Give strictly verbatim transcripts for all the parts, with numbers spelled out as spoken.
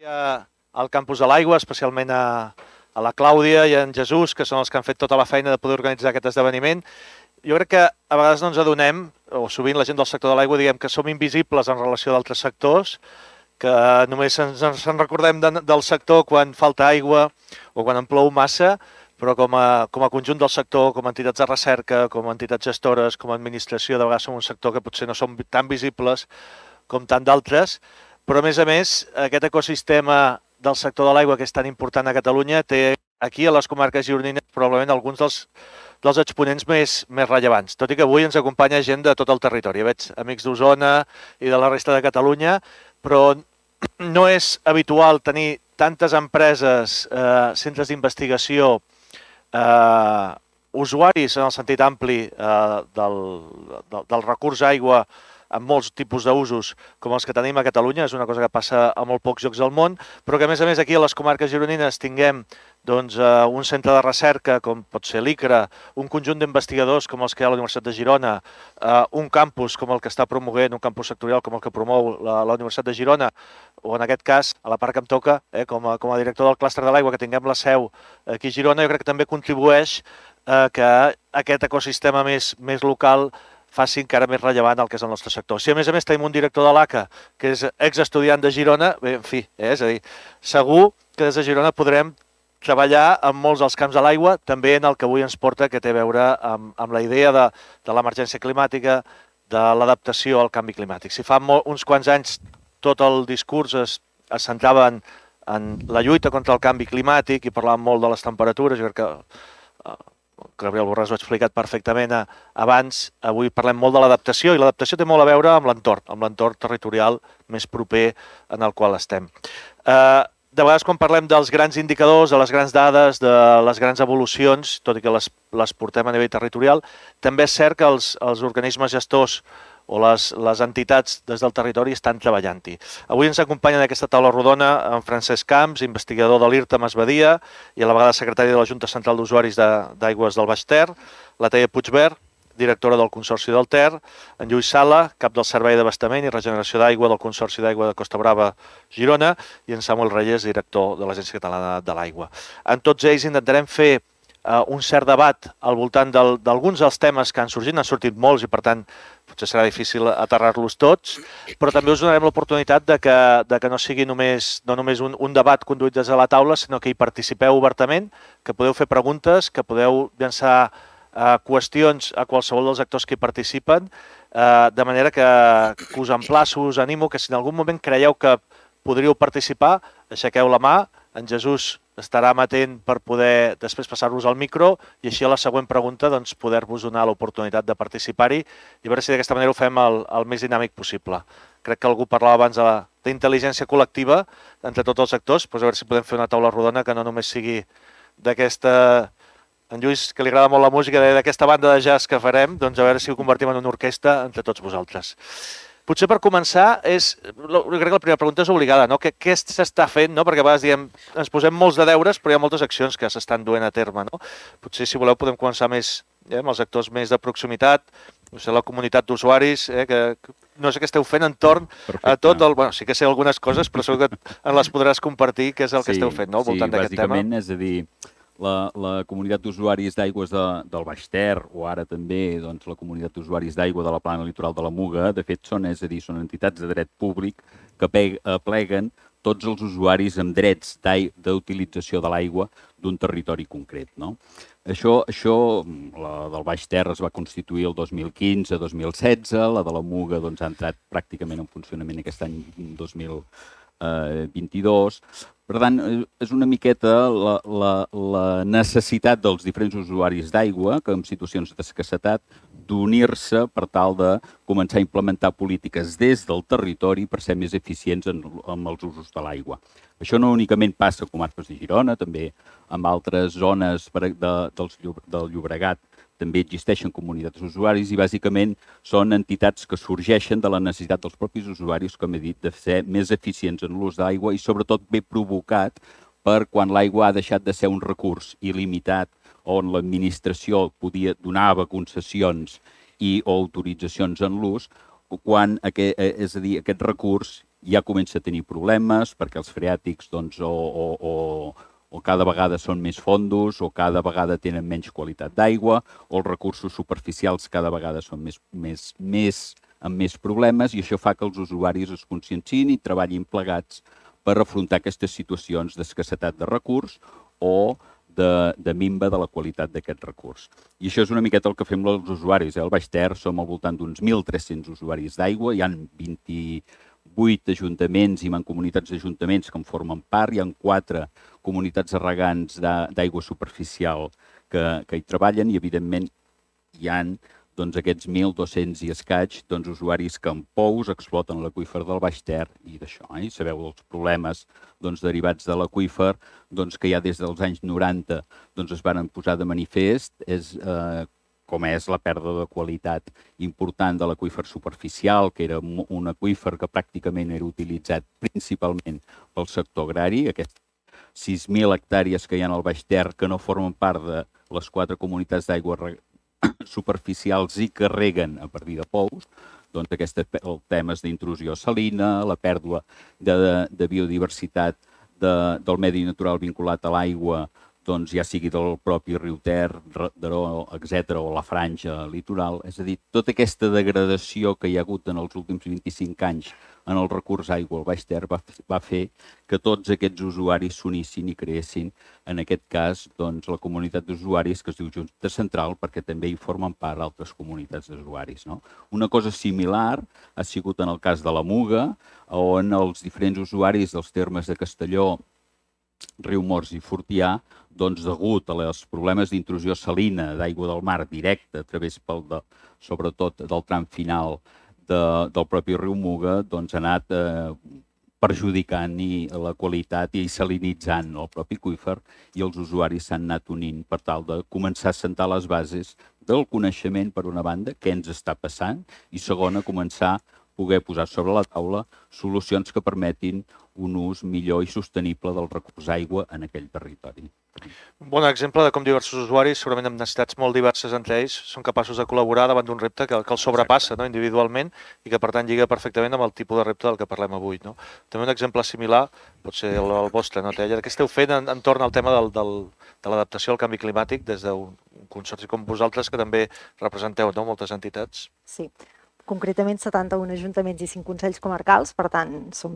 Al campus de l'Aigua, especialment a, a la Clàudia i a en Jesús, que són els que han fet tota la feina de poder organitzar aquest esdeveniment. Jo crec que a vegades no ens adonem, o sovint la gent del sector de l'aigua diguem que som invisibles en relació d'altres sectors, que només ens, ens en recordem de, del sector quan falta aigua o quan en plou massa, però com a, com a conjunt del sector, com a entitats de recerca, com a entitats gestores, com a administració, de vegades som un sector que potser no som tan visibles com tant d'altres, però a més a més aquest ecosistema del sector de l'aigua, que és tan important a Catalunya, té aquí a les comarques gironines probablement alguns dels, dels exponents més, més rellevants, tot i que avui ens acompanya gent de tot el territori. Veig amics d'Osona i de la resta de Catalunya, però no és habitual tenir tantes empreses, eh, centres d'investigació, eh, usuaris en el sentit ampli eh, del, del, del recurs aigua amb molts tipus d'usos com els que tenim a Catalunya. És una cosa que passa a molt pocs llocs del món, però que a més a més aquí a les comarques gironines tinguem doncs, uh, un centre de recerca com pot ser l'ICRA, un conjunt d'investigadors com els que hi ha a la Universitat de Girona, uh, un campus com el que està promovent, un campus sectorial com el que promou la, la Universitat de Girona, o en aquest cas, a la part que em toca, eh, com, a, com a director del clúster de l'aigua, que tinguem la seu aquí a Girona, jo crec que també contribueix uh, que aquest ecosistema més, més local faci encara més rellevant el que és el nostre sector. Si a més a més tenim un director de l'A C A, que és exestudiant de Girona, bé, en fi, eh, és a dir, segur que des de Girona podrem treballar en molts dels camps de l'aigua, també en el que avui ens porta, que té a veure amb, amb la idea de, de l'emergència climàtica, de l'adaptació al canvi climàtic. Si fa molt, uns quants anys tot el discurs es, es centrava en, en la lluita contra el canvi climàtic i parlàvem molt de les temperatures, jo crec que eh, Gabriel Borràs ho ha explicat perfectament abans, avui parlem molt de l'adaptació i l'adaptació té molt a veure amb l'entorn, amb l'entorn territorial més proper en el qual estem. Eh, de vegades quan parlem dels grans indicadors, de les grans dades, de les grans evolucions, tot i que les, les portem a nivell territorial, també és cert que els, els organismes gestors o les, les entitats des del territori estan treballant-hi. Avui ens acompanya en aquesta taula rodona en Francesc Camps, investigador de l'IRTA Masbadia i a la vegada secretari de la Junta Central d'Usuaris d'Aigües del Baix Ter, la Teia Puigvert, directora del Consorci del Ter, en Lluís Sala, cap del Servei d'Abastament i Regeneració d'Aigua del Consorci d'Aigua de Costa Brava, Girona, i en Samuel Reyes, director de l'Agència Catalana de l'Aigua. En tots ells intentarem fer Uh, un cert debat al voltant d'alguns del, dels temes que han sorgit, n'han sortit molts i per tant potser serà difícil aterrar-los tots, però també us donarem l'oportunitat de, que, de que no sigui només, no només un, un debat conduït des de la taula, sinó que hi participeu obertament, que podeu fer preguntes, que podeu llançar uh, qüestions a qualsevol dels actors que hi participen, uh, de manera que, que us emplaço, us animo que si en algun moment creieu que podríeu participar, aixequeu la mà, en Jesús estarà amatent per poder després passar-vos al micro i així a la següent pregunta doncs, poder-vos donar l'oportunitat de participar-hi i veure si d'aquesta manera ho fem el, el més dinàmic possible. Crec que algú parlava abans d'intel·ligència col·lectiva entre tots els actors, doncs a veure si podem fer una taula rodona que no només sigui d'aquesta... En Lluís, que li agrada molt la música, d'aquesta banda de jazz que farem, doncs a veure si ho convertim en una orquestra entre tots vosaltres. Potser per començar, és, jo crec que la primera pregunta és obligada, no? Què, què s'està fent? No? Perquè a vegades diem, ens posem molts de deures, però hi ha moltes accions que s'estan duent a terme. No? Potser, si voleu, podem començar més eh, amb els actors més de proximitat, no sé, la comunitat d'usuaris, eh, que no sé què esteu fent entorn Perfecte. A tot el... Bueno, sí que sé algunes coses, però segur que en les podràs compartir, què és el sí, que esteu fent no? Al voltant sí, d'aquest tema. Sí, bàsicament, és a dir, la, la comunitat d'usuaris d'aigües de, del Baix Ter, o ara també doncs, la comunitat d'usuaris d'aigua de la plana litoral de la Muga, de fet són, és a dir, són entitats de dret públic que apleguen tots els usuaris amb drets d'utilització de l'aigua d'un territori concret. No? Això, això, la del Baix Ter es va constituir el dos mil quinze dos mil setze, la de la Muga doncs, ha entrat pràcticament en funcionament aquest any dos mil vint-i-dos. Per tant, és una miqueta la, la, la necessitat dels diferents usuaris d'aigua que en situacions d'escassetat d'unir-se per tal de començar a implementar polítiques des del territori per ser més eficients en, en els usos de l'aigua. Això no únicament passa a comarques de Girona, també en altres zones de, dels, del Llobregat també existeixen comunitats d'usuaris i bàsicament són entitats que sorgeixen de la necessitat dels propis usuaris, com he dit, de ser més eficients en l'ús d'aigua i sobretot bé provocat per quan l'aigua ha deixat de ser un recurs il·limitat on l'administració podia donava concessions i o autoritzacions en l'ús, quan aquest, és a dir, aquest recurs ja comença a tenir problemes perquè els freàtics doncs, o, o, o, o cada vegada són més fondos o cada vegada tenen menys qualitat d'aigua o els recursos superficials cada vegada són més, més, més, amb més problemes i això fa que els usuaris es conscienciïn i treballin plegats per afrontar aquestes situacions d'escassetat de recurs o de, de minva de la qualitat d'aquest recurs. I això és una miqueta el que fem els usuaris. Eh? Al Baix Ter som al voltant d'uns mil tres-cents usuaris d'aigua, hi ha vint-i-vuit ajuntaments i mancomunitats d'ajuntaments que en formen part, hi ha quatre comunitats de regants d'aigua superficial que, que hi treballen i, evidentment, hi ha doncs, aquests mil dos-cents i escaig doncs, usuaris que amb pous exploten l'aqüífer del Baix Ter i d'això. Eh? Sabeu els problemes doncs, derivats de l'aqüífer doncs, que ja des dels anys noranta doncs, es van posar de manifest, és, eh, com és la pèrdua de qualitat important de l'aqüífer superficial, que era un aqüífer que pràcticament era utilitzat principalment pel sector agrari, aquests sis mil hectàrees que hi ha al Baix Ter que no formen part de les quatre comunitats d'aigua superficials i que reguen a partir de pous, doncs aquests temes d'intrusió salina, la pèrdua de, de, de biodiversitat de, del medi natural vinculat a l'aigua, doncs ja sigui del propi riu Ter, Daró, etcètera, o la franja litoral. És a dir, tota aquesta degradació que hi ha hagut en els últims vint-i-cinc anys en el recurs aigua al Baix Ter va, va fer que tots aquests usuaris s'unissin i creessin, en aquest cas, doncs, la comunitat d'usuaris que es diu Junta Central, perquè també hi formen part altres comunitats d'usuaris. No? Una cosa similar ha sigut en el cas de la Muga, on els diferents usuaris dels termes de Castelló, Riumors i Fortià, doncs, degut als problemes d'intrusió salina d'aigua del mar directa a través, pel de, sobretot, del tram final de, del propi riu Muga, doncs, ha anat eh, perjudicant i la qualitat i salinitzant el propi aqüífer i els usuaris s'han anat unint per tal de començar a assentar les bases del coneixement, per una banda, què ens està passant, i segona, començar a poder posar sobre la taula solucions que permetin un ús millor i sostenible del recurs aigua en aquell territori. Un bon exemple de com diversos usuaris, segurament amb necessitats molt diverses entre ells, són capaços de col·laborar davant d'un repte que, que els sobrepassa, no, individualment i que, per tant, lliga perfectament amb el tipus de repte del que parlem avui. No? També un exemple similar pot ser el, el vostre, no, Teia? Què esteu fent en, entorn al tema del, del, de l'adaptació al canvi climàtic des d'un consorci com vosaltres, que també representeu, no, moltes entitats? Sí. Concretament setanta-un ajuntaments i cinc consells comarcals, per tant, som,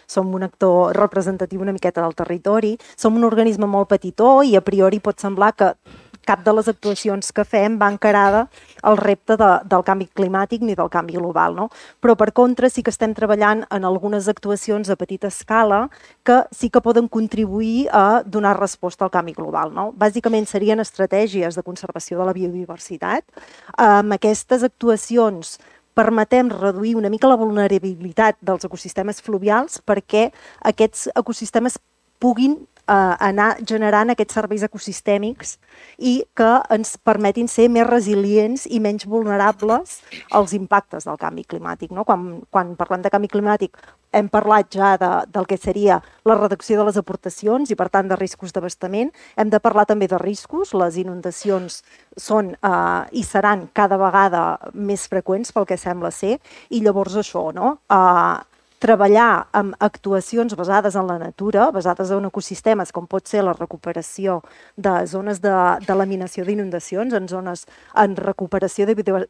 som un actor representatiu una miqueta del territori. Som un organisme molt petitó i a priori pot semblar que cap de les actuacions que fem va encarada al repte de, del canvi climàtic ni del canvi global, no? Però, per contra, sí que estem treballant en algunes actuacions a petita escala que sí que poden contribuir a donar resposta al canvi global, no? Bàsicament serien estratègies de conservació de la biodiversitat. Amb aquestes actuacions permetem reduir una mica la vulnerabilitat dels ecosistemes fluvials perquè aquests ecosistemes puguin eh, anar generant aquests serveis ecosistèmics i que ens permetin ser més resilients i menys vulnerables als impactes del canvi climàtic. No? Quan, quan parlem de canvi climàtic hem parlat ja de, del que seria la reducció de les aportacions i, per tant, de riscos d'abastament. Hem de parlar també de riscos. Les inundacions són eh, i seran cada vegada més freqüents pel que sembla ser. I llavors això, no? Eh, treballar amb actuacions basades en la natura, basades en ecosistemes, com pot ser la recuperació de zones de, de laminació d'inundacions, en zones en recuperació de, de,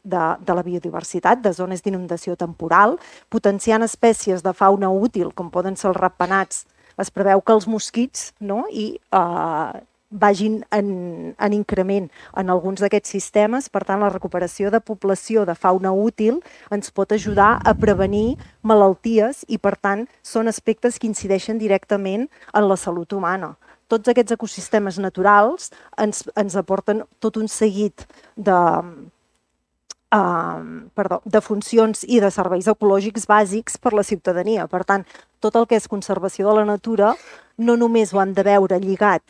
de la biodiversitat, de zones d'inundació temporal, potenciant espècies de fauna útil, com poden ser els ratpenats. Es preveu que els mosquits, no? i eh, vagin en, en increment en alguns d'aquests sistemes. Per tant, la recuperació de població de fauna útil ens pot ajudar a prevenir malalties i, per tant, són aspectes que incideixen directament en la salut humana. Tots aquests ecosistemes naturals ens, ens aporten tot un seguit de, uh, perdó, de funcions i de serveis ecològics bàsics per a la ciutadania. Per tant, tot el que és conservació de la natura no només ho han de veure lligat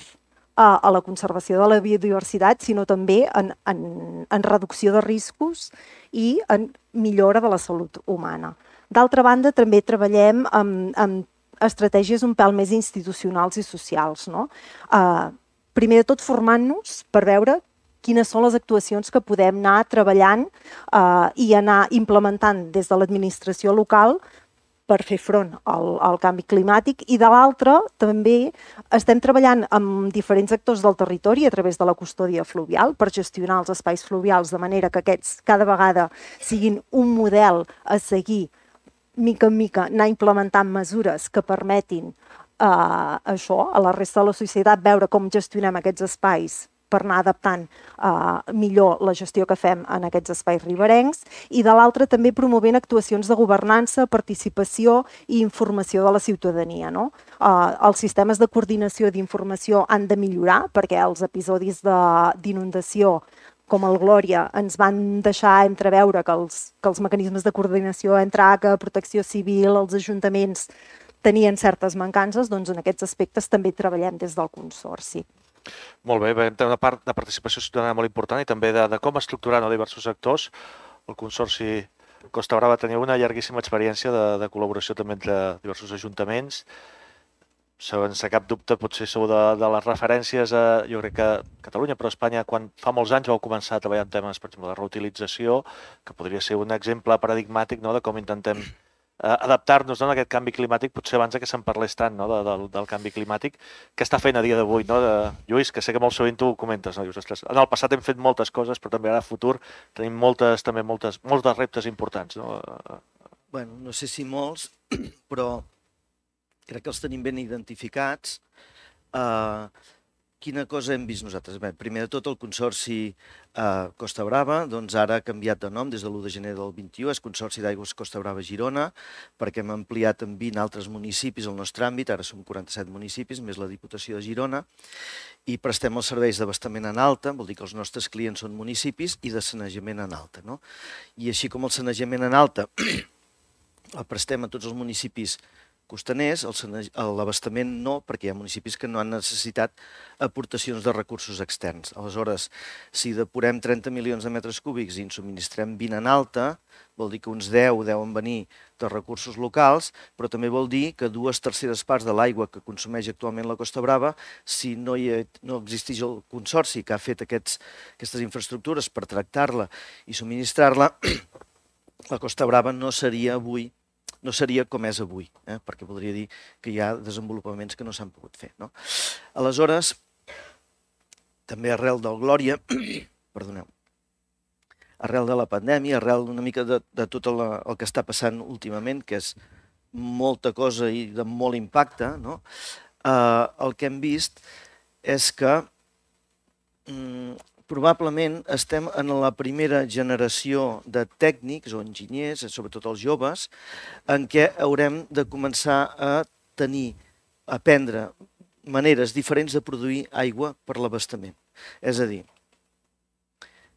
a la conservació de la biodiversitat, sinó també en, en, en reducció de riscos i en millora de la salut humana. D'altra banda, també treballem amb, amb estratègies un pèl més institucionals i socials. No? Uh, primer de tot, formant-nos per veure quines són les actuacions que podem anar treballant uh, i anar implementant des de l'administració local per fer front al, al canvi climàtic, i de l'altra també estem treballant amb diferents actors del territori a través de la custòdia fluvial per gestionar els espais fluvials de manera que aquests cada vegada siguin un model a seguir, mica en mica anar implementant mesures que permetin eh, això a la resta de la societat, veure com gestionem aquests espais per anar adaptant eh, millor la gestió que fem en aquests espais riberencs, i de l'altra també promovent actuacions de governança, participació i informació de la ciutadania. No? Eh, els sistemes de coordinació d'informació han de millorar perquè els episodis d'inundació com el Glòria ens van deixar entreveure que els, que els mecanismes de coordinació entre A C A, Protecció Civil, els ajuntaments tenien certes mancances, doncs en aquests aspectes també treballem des del Consorci. Molt bé, té una part de participació ciutadana molt important i també de, de com estructurar no, diversos actors. El Consorci Costa Brava tenia una llarguíssima experiència de, de col·laboració també entre diversos ajuntaments. Sense cap dubte, potser sou de, de les referències a, jo crec que Catalunya, però Espanya, quan fa molts anys vau començar a treballar en temes, per exemple, de reutilització, que podria ser un exemple paradigmàtic no, de com intentem eh, adaptar-nos no, a aquest canvi climàtic, potser abans que se'n parlés tant no, de, del, del canvi climàtic, que està fent a dia d'avui. No, de... Lluís, que sé que molt sovint tu ho comentes, no? Dius, ostres, en el passat hem fet moltes coses, però també ara a futur tenim moltes, també moltes, molts dels reptes importants. No? Bueno, no sé si molts, però crec que els tenim ben identificats. Uh, quina cosa hem vist nosaltres? Bé, primer de tot, el Consorci uh, Costa Brava, doncs ara ha canviat de nom des de l'u de gener del vint-i-u, és Consorci d'Aigües Costa Brava Girona, perquè hem ampliat en vint altres municipis el nostre àmbit, ara som quaranta-set municipis, més la Diputació de Girona, i prestem els serveis d'abastament en alta, vol dir que els nostres clients són municipis, i de sanejament en alta. No? I així com el sanejament en alta el prestem a tots els municipis costaners, l'abastament no, perquè hi ha municipis que no han necessitat aportacions de recursos externs. Aleshores, si depurem trenta milions de metres cúbics i en subministrem vint en alta, vol dir que uns deu deuen venir de recursos locals, però també vol dir que dues terceres parts de l'aigua que consumeix actualment la Costa Brava, si no, hi ha, no existeix el consorci que ha fet aquests, aquestes infraestructures per tractar-la i subministrar-la, la Costa Brava no seria avui no seria com és avui, eh? perquè voldria dir que hi ha desenvolupaments que no s'han pogut fer. No? Aleshores, també arrel del Glòria, perdoneu, arrel de la pandèmia, arrel una mica de, de tot el, el que està passant últimament, que és molta cosa i de molt impacte, no? eh, el que hem vist és que mm, probablement estem en la primera generació de tècnics o enginyers, sobretot els joves, en què haurem de començar a tenir, a aprendre maneres diferents de produir aigua per l'abastament. És a dir,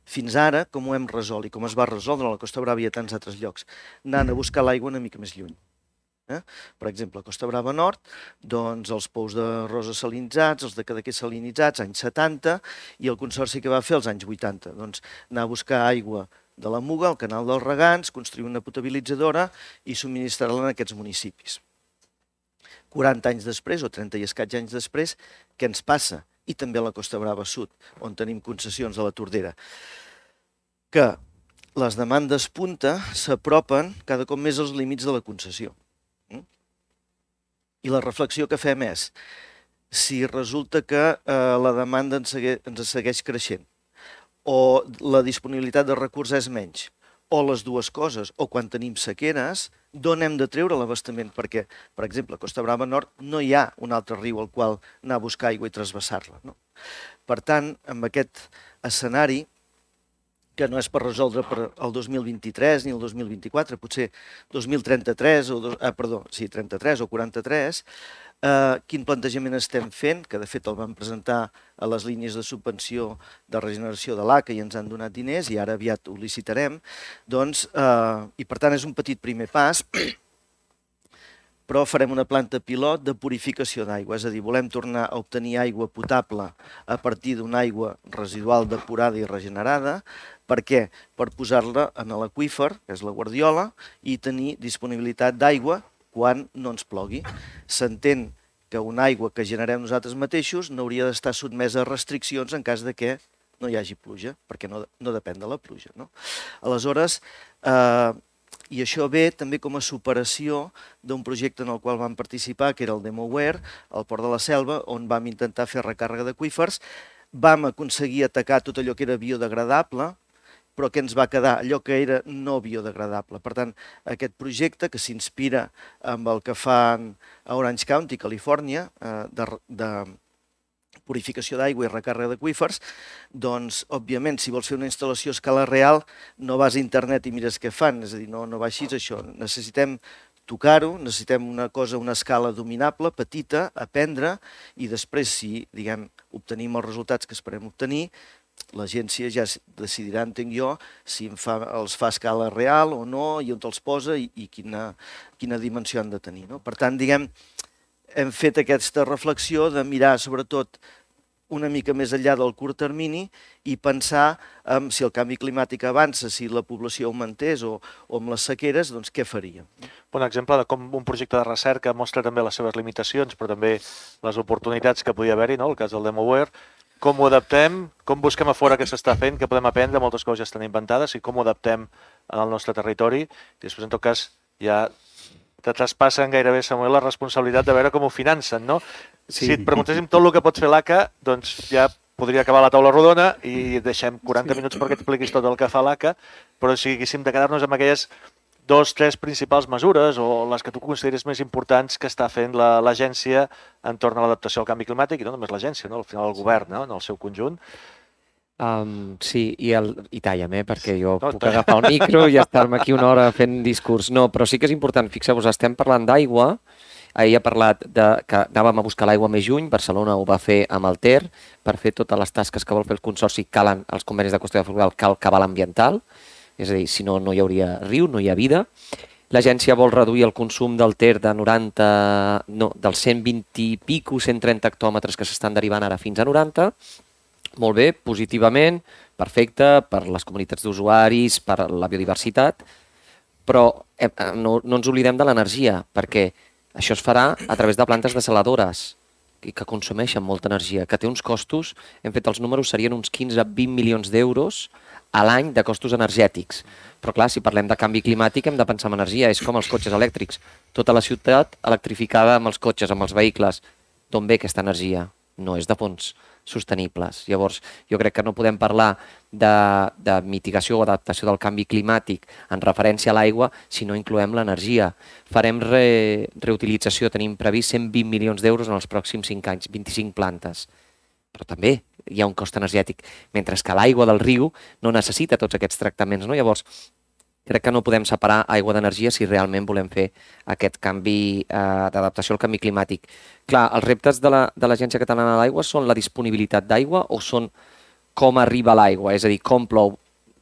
fins ara, com ho hem resolt i com es va resoldre a la Costa Brava i a tants altres llocs, anant a buscar l'aigua una mica més lluny. Eh? Per exemple, a Costa Brava Nord, doncs els pous de Rosa salinitzats, els de Cadaqués salinitzats, anys setanta, i el consorci que va fer els anys vuitanta, doncs anar a buscar aigua de la Muga, al canal dels Regants, construir una potabilitzadora i subministrar-la en aquests municipis. quaranta anys després, o trenta i escaig anys després, què ens passa? I també a la Costa Brava Sud, on tenim concessions a la Tordera, que les demandes punta s'apropen cada cop més als límits de la concessió. I la reflexió que fem és, si resulta que eh, la demanda ens segueix, ens segueix creixent, o la disponibilitat de recursos és menys, o les dues coses, o quan tenim sequeres, d'on hem de treure l'abastament? Perquè, per exemple, a Costa Brava Nord no hi ha un altre riu al qual anar a buscar aigua i trasbassar-la. No? Per tant, amb aquest escenari, que no és per resoldre per el dos mil vint-i-tres ni el dos mil vint-i-quatre, potser dos mil trenta-tres o, dos, ah, perdó, sí, trenta-tres o quaranta-tres, eh, quin plantejament estem fent, que de fet el vam presentar a les línies de subvenció de regeneració de l'A C A i ens han donat diners i ara aviat ho licitarem, doncs, eh, i per tant és un petit primer pas, però farem una planta pilot de purificació d'aigua, és a dir, volem tornar a obtenir aigua potable a partir d'una aigua residual depurada i regenerada. Per què? Per posar-la en l'aqüífer, que és la Guardiola, i tenir disponibilitat d'aigua quan no ens plogui. S'entén que una aigua que generem nosaltres mateixos no hauria d'estar sotmesa a restriccions en cas de que no hi hagi pluja, perquè no, no depèn de la pluja. No? Aleshores, eh, I això ve també com a superació d'un projecte en el qual vam participar, que era el DemoWare, al Port de la Selva, on vam intentar fer recàrrega d'aqüífers. Vam aconseguir atacar tot allò que era biodegradable, però que ens va quedar allò que era no biodegradable. Per tant, aquest projecte, que s'inspira amb el que fan a Orange County, Califòrnia, de, de purificació d'aigua i recàrrega d'aqüífers, doncs, òbviament, si vols fer una instal·lació a escala real, no vas a internet i mires què fan, és a dir, no, no va així això. Necessitem tocar-ho, necessitem una cosa, una escala dominable, petita, aprendre, i després, si, diguem, obtenim els resultats que esperem obtenir, l'agència ja decidirà, entenc jo, si fa, els fa a escala real o no, i on els posa i, i quina, quina dimensió han de tenir. No? Per tant, diguem, hem fet aquesta reflexió de mirar, sobretot, una mica més enllà del curt termini i pensar en si el canvi climàtic avança, si la població augmentés o, o amb les sequeres, doncs què faríem? Un exemple de com un projecte de recerca mostra també les seves limitacions, però també les oportunitats que podia haver-hi, no? El cas del DemoWare, com ho adaptem, com busquem a fora què s'està fent, què podem aprendre, moltes coses ja estan inventades, i com ho adaptem al nostre territori. I després, en tot cas, ja te traspassen gairebé, Samuel, la responsabilitat de veure com ho financen, no? Sí. Si et preguntéssim tot el que pots fer l'A C A, doncs ja podria acabar la taula rodona i deixem quaranta sí. minuts perquè t'expliquis tot el que fa l'A C A, però si haguéssim de quedar-nos amb aquelles dos, tres principals mesures o les que tu consideres més importants que està fent l'agència entorn a l'adaptació al canvi climàtic, i no només l'agència, no? Al final el govern, no? En el seu conjunt. Um, sí, i, el, i talla'm, eh, perquè jo no, puc agafar el micro i estar-me aquí una hora fent discurs. No, però sí que és important, fixeu-vos, estem parlant d'aigua. Ahir ha parlat de, que anàvem a buscar l'aigua més lluny, Barcelona ho va fer amb el Ter, per fer totes les tasques que vol fer el Consorci, calen els convenis de qüestió de fluvial, cal cabal ambiental, és a dir, si no, no hi hauria riu, no hi ha vida. L'agència vol reduir el consum del Ter de noranta, no, dels cent vint i pico, cent trenta hectòmetres que s'estan derivant ara fins a noranta. Molt bé, positivament, perfecte, per les comunitats d'usuaris, per la biodiversitat, però eh, no, no ens oblidem de l'energia, perquè això es farà a través de plantes desaladores i que consumeixen molta energia, que té uns costos, hem fet els números, serien uns quinze a vint milions d'euros a l'any de costos energètics. Però clar, si parlem de canvi climàtic hem de pensar en energia, és com els cotxes elèctrics. Tota la ciutat electrificada amb els cotxes, amb els vehicles. D'on ve aquesta energia? No és de fonts sostenibles. Llavors, jo crec que no podem parlar de, de mitigació o adaptació del canvi climàtic en referència a l'aigua si no incloem l'energia. Farem re, reutilització, tenim previst cent vint milions d'euros en els pròxims cinc anys, vint-i-cinc plantes. Però també hi ha un cost energètic, mentre que l'aigua del riu no necessita tots aquests tractaments, no? Llavors, crec que no podem separar aigua d'energia si realment volem fer aquest canvi eh, d'adaptació al canvi climàtic. Clar, els reptes de l'Agència la, Catalana de l'Aigua són la disponibilitat d'aigua o són com arriba l'aigua, és a dir, com plou.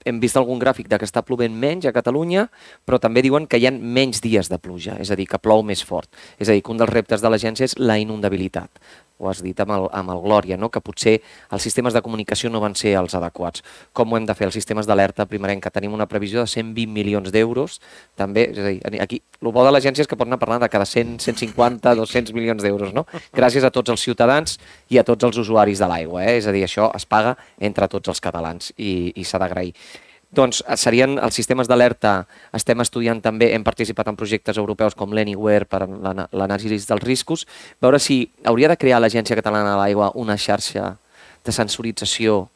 Hem vist algun gràfic de que està plovent menys a Catalunya, però també diuen que hi ha menys dies de pluja, és a dir, que plou més fort. És a dir, que un dels reptes de l'agència és la inundabilitat. Ho has dit amb el, amb el Glòria, no? Que potser els sistemes de comunicació no van ser els adequats. Com ho hem de fer? Els sistemes d'alerta primerenca. Tenim una previsió de cent vint milions d'euros. També, és a dir, aquí, el bo de l'agència és que pot anar parlant de cada cent, cent cinquanta, dos-cents milions d'euros, no? Gràcies a tots els ciutadans i a tots els usuaris de l'aigua, eh? És a dir, això es paga entre tots els catalans i, i s'ha d'agrair. Doncs serien els sistemes d'alerta, estem estudiant també, hem participat en projectes europeus com l'Anywhere per l'anàlisi dels riscos, veure si hauria de crear l'Agència Catalana de l'Aigua una xarxa de sensorització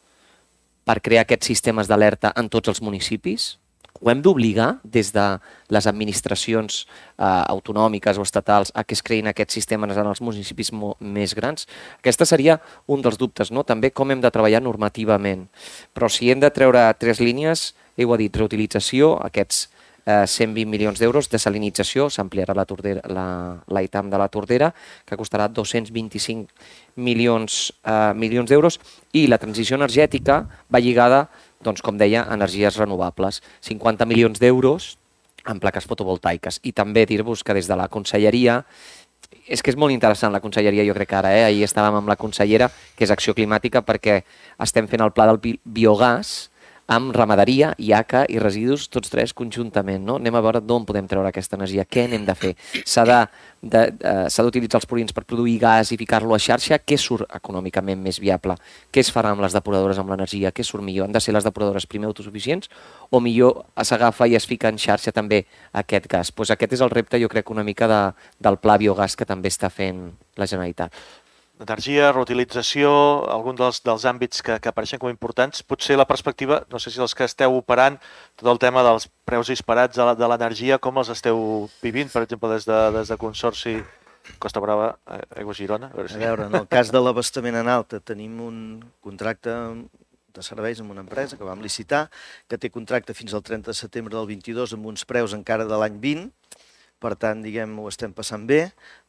per crear aquests sistemes d'alerta en tots els municipis. Ho hem d'obligar des de les administracions eh, autonòmiques o estatals a que es creïn aquests sistemes en els municipis més grans. Aquesta seria un dels dubtes, no? També com hem de treballar normativament. Però si hem de treure tres línies, heu dit reutilització, aquests eh, cent vint milions d'euros, desalinització, s'ampliarà la, la, la I T A M de la Tordera, que costarà dos-cents vint-i-cinc milions, eh, milions d'euros, i la transició energètica va lligada, doncs, com deia, energies renovables, cinquanta milions d'euros en plaques fotovoltaiques. I també dir-vos que des de la conselleria, és que és molt interessant la conselleria, jo crec que ara, eh? Ahir estàvem amb la consellera, que és Acció Climàtica, perquè estem fent el pla del biogàs amb ramaderia, I A C A i residus, tots tres conjuntament, no? Anem a veure d'on podem treure aquesta energia, què anem de fer. S'ha d'utilitzar els purins per produir gas i ficar-lo a xarxa, què surt econòmicament més viable? Què es farà amb les depuradores amb l'energia? Què surt millor? Han de ser les depuradores primer autosuficients o millor s'agafa i es fica en xarxa també aquest gas? Pues aquest és el repte, jo crec, una mica de, del pla biogàs que també està fent la Generalitat. Energia, reutilització, algun dels, dels àmbits que, que apareixen com importants. Potser la perspectiva, no sé si els que esteu operant, tot el tema dels preus disparats de l'energia, com els esteu vivint, per exemple, des de, des de Consorci Costa Brava, Aigües Girona? A veure, si... a veure, en el cas de l'abastament en alta tenim un contracte de serveis amb una empresa que vam licitar, que té contracte fins al trenta de setembre del vint-i-dos amb uns preus encara de l'any vint, per tant, diguem, ho estem passant bé,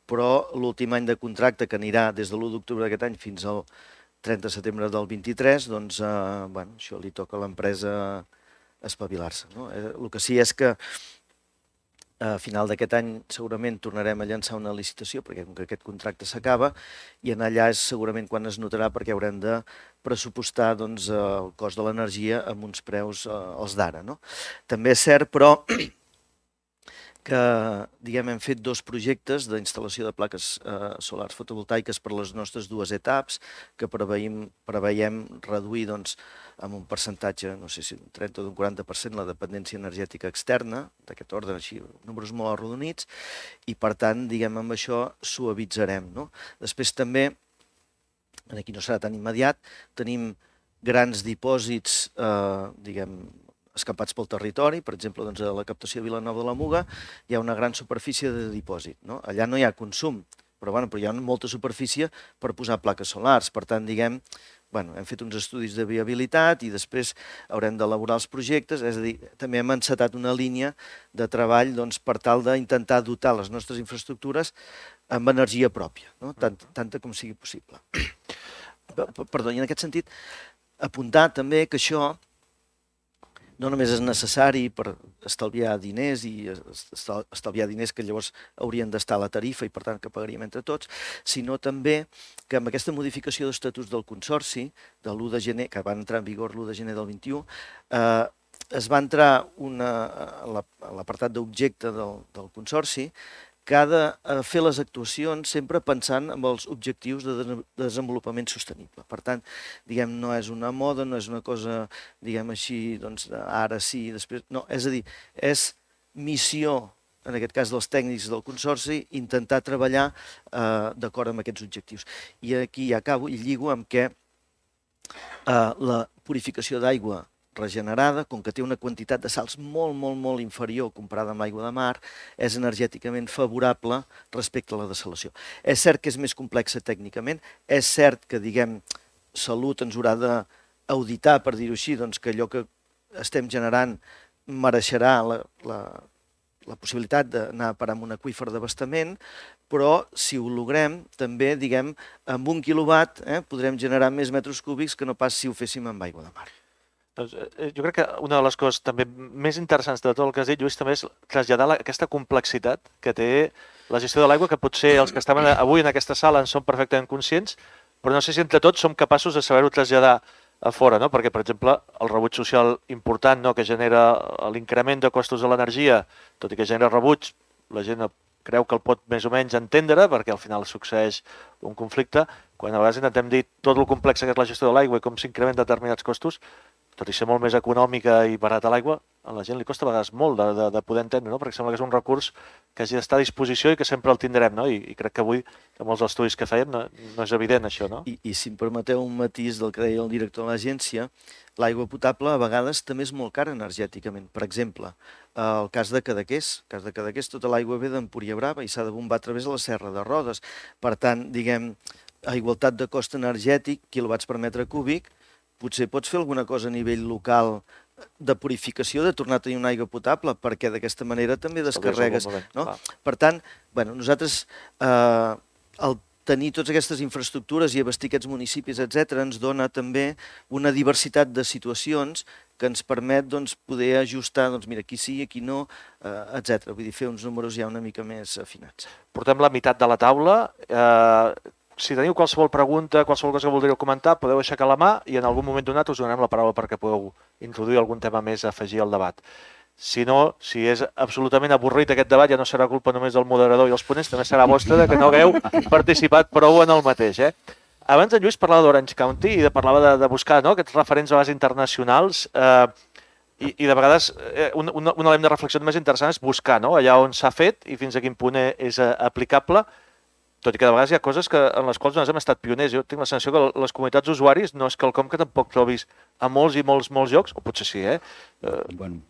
però l'últim any de contracte, que anirà des de l'u d'octubre d'aquest any fins al trenta de setembre del vint-i-tres, doncs, eh, bueno, això li toca a l'empresa espavilar-se, no? Eh, el que sí és que a final d'aquest any segurament tornarem a llançar una licitació, perquè com que aquest contracte s'acaba, i en allà és segurament quan es notarà, perquè haurem de pressupostar doncs, el cost de l'energia amb uns preus eh, els d'ara, no? També és cert, però, que diguem, hem fet dos projectes d'instal·lació de plaques eh, solars fotovoltaiques per les nostres dues etaps, que preveiem, preveiem reduir doncs, amb un percentatge, no sé si un trenta o un quaranta per cent, la dependència energètica externa, d'aquest ordre, així, números molt arrodonits, i per tant, diguem, amb això suavitzarem, no? Després també, aquí no serà tan immediat, tenim grans dipòsits, eh, diguem, escampats pel territori, per exemple, doncs, a la captació de Vilanova de la Muga hi ha una gran superfície de dipòsit, no? Allà no hi ha consum, però, bueno, però hi ha molta superfície per posar plaques solars. Per tant, diguem, bueno, hem fet uns estudis de viabilitat i després haurem d'elaborar els projectes, és a dir, també hem encetat una línia de treball doncs, per tal d'intentar dotar les nostres infraestructures amb energia pròpia, no? Tant, tanta com sigui possible. Perdó, i en aquest sentit, apuntar també que això no només és necessari per estalviar diners i estalviar diners que llavors haurien d'estar a la tarifa i per tant que pagaríem entre tots, sinó també que amb aquesta modificació d'estatuts del Consorci, de l'u de gener, que va entrar en vigor l'u de gener del vint-i-u, eh, es va entrar una, a l'apartat d'objecte del, del Consorci que ha de fer les actuacions sempre pensant en els objectius de desenvolupament sostenible. Per tant, diguem, no és una moda, no és una cosa, diguem així, doncs, ara sí, després... No, és a dir, és missió, en aquest cas dels tècnics del Consorci, intentar treballar eh, d'acord amb aquests objectius. I aquí ja acabo i lligo amb què eh, la purificació d'aigua regenerada, com que té una quantitat de sals molt, molt, molt inferior comparada amb l'aigua de mar, és energèticament favorable respecte a la dessalació. És cert que és més complexa tècnicament, és cert que, diguem, Salut ens haurà d'auditar, per dir-ho així, doncs que allò que estem generant mereixerà la, la, la possibilitat d'anar a parar amb un aqüífer d'abastament, però si ho logrem, també, diguem, amb un quilowatt eh, podrem generar més metres cúbics que no pas si ho féssim amb aigua de mar. Doncs, jo crec que una de les coses també més interessants de tot el que has dit, Lluís, també és traslladar la, aquesta complexitat que té la gestió de l'aigua, que potser els que estaven avui en aquesta sala en són perfectament conscients, però no sé si entre tots som capaços de saber-ho traslladar a fora, no? Perquè, per exemple, el rebuig social important, no?, que genera l'increment de costos de l'energia, tot i que genera rebuig, la gent creu que el pot més o menys entendre, perquè al final succeeix un conflicte, quan a vegades intentem dir tot el complex que és la gestió de l'aigua i com s'incrementen determinats costos, tot i ser molt més econòmica i barata l'aigua, a la gent li costa a vegades molt de, de, de poder entendre, no? Perquè sembla que és un recurs que hagi d'estar a disposició i que sempre el tindrem, no? I, i crec que avui, amb els estudis que fèiem, no, no és evident això, no? I, I si em permeteu un matís del que deia el director de l'agència, l'aigua potable a vegades també és molt cara energèticament. Per exemple, el cas de Cadaqués, el cas de Cadaqués, tota l'aigua ve d'Empúria Brava i s'ha de bombar a través de la Serra de Rodes. Per tant, diguem, a igualtat de cost energètic, quilowatts per metre cúbic, potser pots fer alguna cosa a nivell local de purificació, de tornar a tenir una aigua potable, perquè d'aquesta manera també descarregues. No? Per tant, bueno, nosaltres, eh, el tenir totes aquestes infraestructures i abastir aquests municipis, etcètera, ens dona també una diversitat de situacions que ens permet doncs, poder ajustar, doncs, mira, aquí sí, aquí no, eh, etcètera. Vull dir, fer uns números ja una mica més afinats. Portem la meitat de la taula. Eh, si teniu qualsevol pregunta, qualsevol cosa que voldríeu comentar, podeu aixecar la mà i en algun moment donat us donarem la paraula perquè podeu introduir algun tema més a afegir al debat. Si no, si és absolutament avorrit aquest debat, ja no serà culpa només del moderador i els ponents, també serà vostra de que no hagueu participat prou en el mateix. Eh? Abans en Lluís parlava d'Orange County i de, parlava de, de buscar no, aquests referents a base internacionals eh, i, i de vegades eh, un, un, un element de reflexió més interessant és buscar no, allà on s'ha fet i fins a quin punt és eh, aplicable, tot i que de vegades hi ha coses que, en les quals nosaltres hem estat pioners. Jo tinc la sensació que les comunitats d'usuaris no és quelcom que tampoc trobis a molts i molts, molts llocs, o potser sí, eh? eh bueno.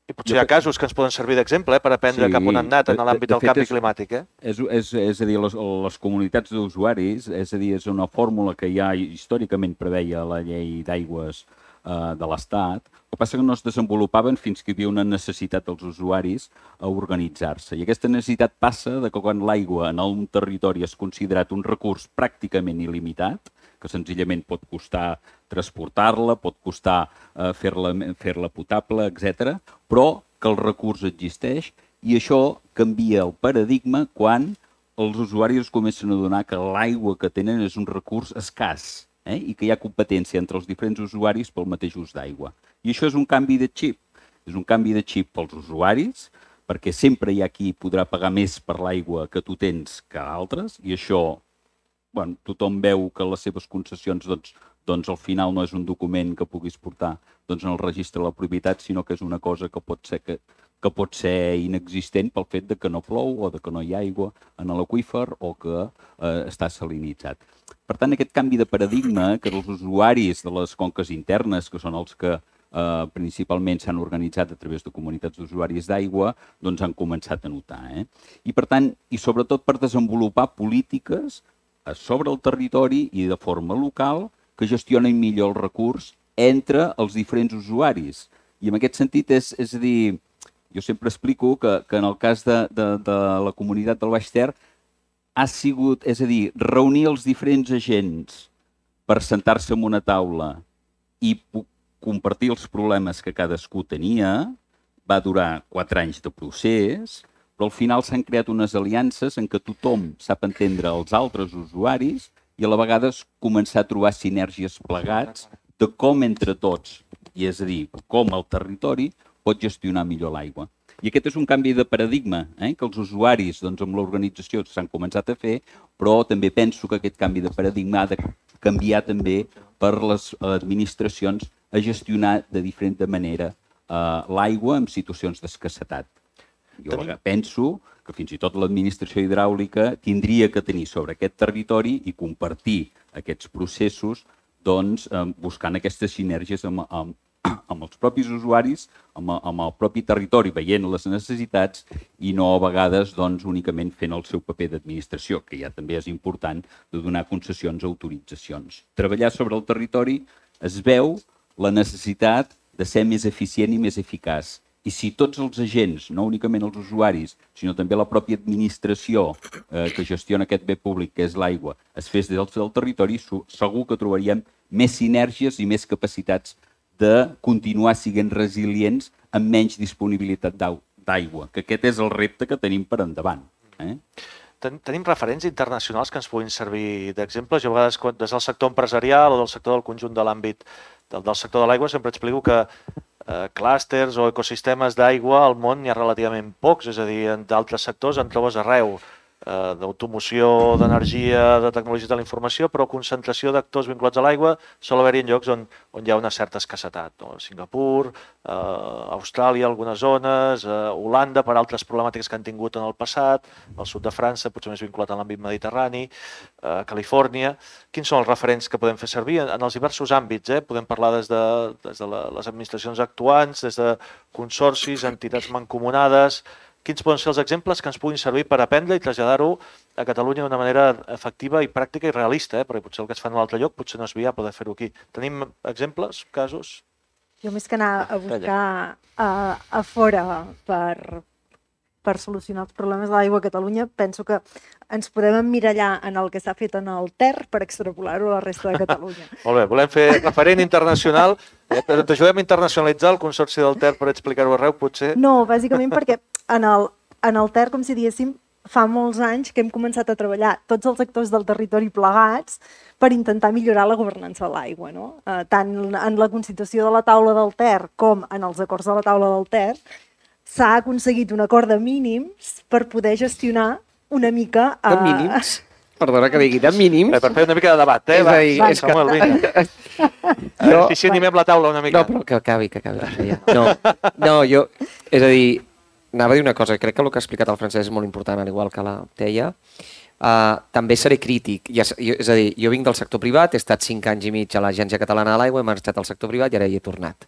I potser hi ha casos que ens poden servir d'exemple eh, per aprendre sí, cap on han anat en l'àmbit del canvi és, climàtic. Eh? És, és, és a dir, les, les comunitats d'usuaris, és a dir, és una fórmula que ja històricament preveia la llei d'aigües eh, de l'Estat. El que passa que no es desenvolupaven fins que hi havia una necessitat dels usuaris a organitzar-se. I aquesta necessitat passa de que quan l'aigua en un territori és considerat un recurs pràcticament il·limitat, que senzillament pot costar transportar-la, pot costar eh, fer-la fer-la potable, etcètera, però que el recurs existeix i això canvia el paradigma quan els usuaris es comencen a adonar que l'aigua que tenen és un recurs escàs eh, i que hi ha competència entre els diferents usuaris pel mateix ús d'aigua. I això és un canvi de xip. És un canvi de xip pels usuaris, perquè sempre hi ha qui podrà pagar més per l'aigua que tu tens que altres, i això bueno, tothom veu que les seves concessions doncs, doncs al final no és un document que puguis portar doncs, en el registre de la propietat, sinó que és una cosa que pot ser, que, que pot ser inexistent pel fet de que no plou o de que no hi ha aigua en l'aqüífer o que eh, està salinitzat. Per tant, aquest canvi de paradigma que els usuaris de les conques internes, que són els que eh, principalment s'han organitzat a través de comunitats d'usuaris d'aigua, doncs han començat a notar. Eh? I per tant, i sobretot per desenvolupar polítiques sobre el territori i de forma local que gestionen millor el recurs entre els diferents usuaris. I en aquest sentit, és, és a dir, jo sempre explico que, que en el cas de, de, de la comunitat del Baix Ter ha sigut, és a dir, reunir els diferents agents per sentar-se en una taula i compartir els problemes que cadascú tenia, va durar quatre anys de procés, però al final s'han creat unes aliances en què tothom sap entendre els altres usuaris i a la vegada començar a trobar sinergies plegats de com entre tots, i és a dir, com el territori pot gestionar millor l'aigua. I aquest és un canvi de paradigma, eh? que els usuaris doncs, amb l'organització s'han començat a fer, però també penso que aquest canvi de paradigma ha de canviar també per les administracions a gestionar de diferent manera eh, l'aigua en situacions d'escassetat. Jo penso que fins i tot l'administració hidràulica tindria que tenir sobre aquest territori i compartir aquests processos doncs, buscant aquestes sinergies amb, amb, amb els propis usuaris, amb, amb el propi territori, veient les necessitats i no a vegades doncs, únicament fent el seu paper d'administració, que ja també és important de donar concessions o autoritzacions. Treballar sobre el territori es veu la necessitat de ser més eficient i més eficaç. I si tots els agents, no únicament els usuaris, sinó també la pròpia administració eh, que gestiona aquest bé públic, que és l'aigua, es fes des del territori, segur que trobaríem més sinergies i més capacitats de continuar sent resilients amb menys disponibilitat d'aigua, que aquest és el repte que tenim per endavant. Eh? Tenim referents internacionals que ens puguin servir d'exemples. Jo a vegades, des del sector empresarial o del sector del conjunt de l'àmbit del, del sector de l'aigua, sempre explico que eh, clústers o ecosistemes d'aigua al món n'hi ha relativament pocs, és a dir, en d'altres sectors en trobes arreu, eh, d'automoció, d'energia, de tecnologies de la informació, però concentració d'actors vinculats a l'aigua sol haver-hi en llocs on, on hi ha una certa escassetat. No? Singapur, eh, Austràlia, algunes zones, eh, Holanda, per altres problemàtiques que han tingut en el passat, el sud de França, potser més vinculat a l'àmbit mediterrani, eh, Califòrnia. Quins són els referents que podem fer servir en, en els diversos àmbits? Eh? Podem parlar des de, des de la, les administracions actuants, des de consorcis, entitats mancomunades. Quins poden ser els exemples que ens puguin servir per aprendre i traslladar-ho a Catalunya d'una manera efectiva i pràctica i realista, eh? perquè potser el que es fa en un altre lloc potser no és viable de fer-ho aquí. Tenim exemples, casos? Jo més que anar a buscar a, a fora per, per solucionar els problemes de l'aigua a Catalunya, penso que ens podem emmirallar en el que s'ha fet en el Ter per extrapolar-ho a la resta de Catalunya. Molt bé, volem fer referent internacional, eh? però t'ajudem a internacionalitzar el Consorci del Ter per explicar-ho arreu, potser? No, bàsicament perquè en el, en el Ter, com si diguéssim, fa molts anys que hem començat a treballar tots els actors del territori plegats per intentar millorar la governança de l'aigua, no? Eh, tant en la constitució de la taula del Ter com en els acords de la taula del Ter s'ha aconseguit un acord de mínims per poder gestionar una mica... Eh... De mínims? Perdona que digui, de mínims. Per fer una mica de debat, eh? És a dir, Va, és que... Jo... Eficientiem amb la taula una mica. No, però que acabi, que acabi. Ja. No, no, jo... És a dir, anava a dir una cosa, crec que el que ha explicat el Francesc és molt important, al igual que la Teia. Uh, també seré crític. Ja, és a dir, jo vinc del sector privat, he estat cinc anys i mig a l'Agència Catalana de l'Aigua, he marxat al sector privat i ara hi he tornat.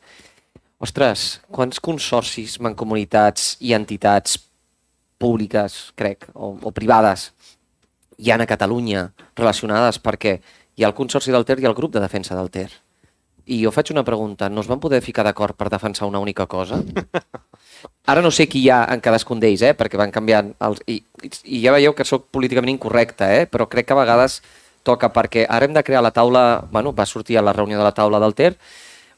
Ostres, quants consorcis, mancomunitats i entitats públiques, crec, o, o privades, hi ha a Catalunya relacionades, perquè hi ha el Consorci del Ter i el grup de defensa del Ter. I jo faig una pregunta, no es van poder ficar d'acord per defensar una única cosa? Ara no sé qui hi ha en cadascun d'ells, eh? Perquè van canviant... Els... I, I ja veieu que sóc políticament incorrecte, eh? Però crec que a vegades toca, perquè ara hem de crear la taula... Bueno, va sortir a la reunió de la taula del Ter.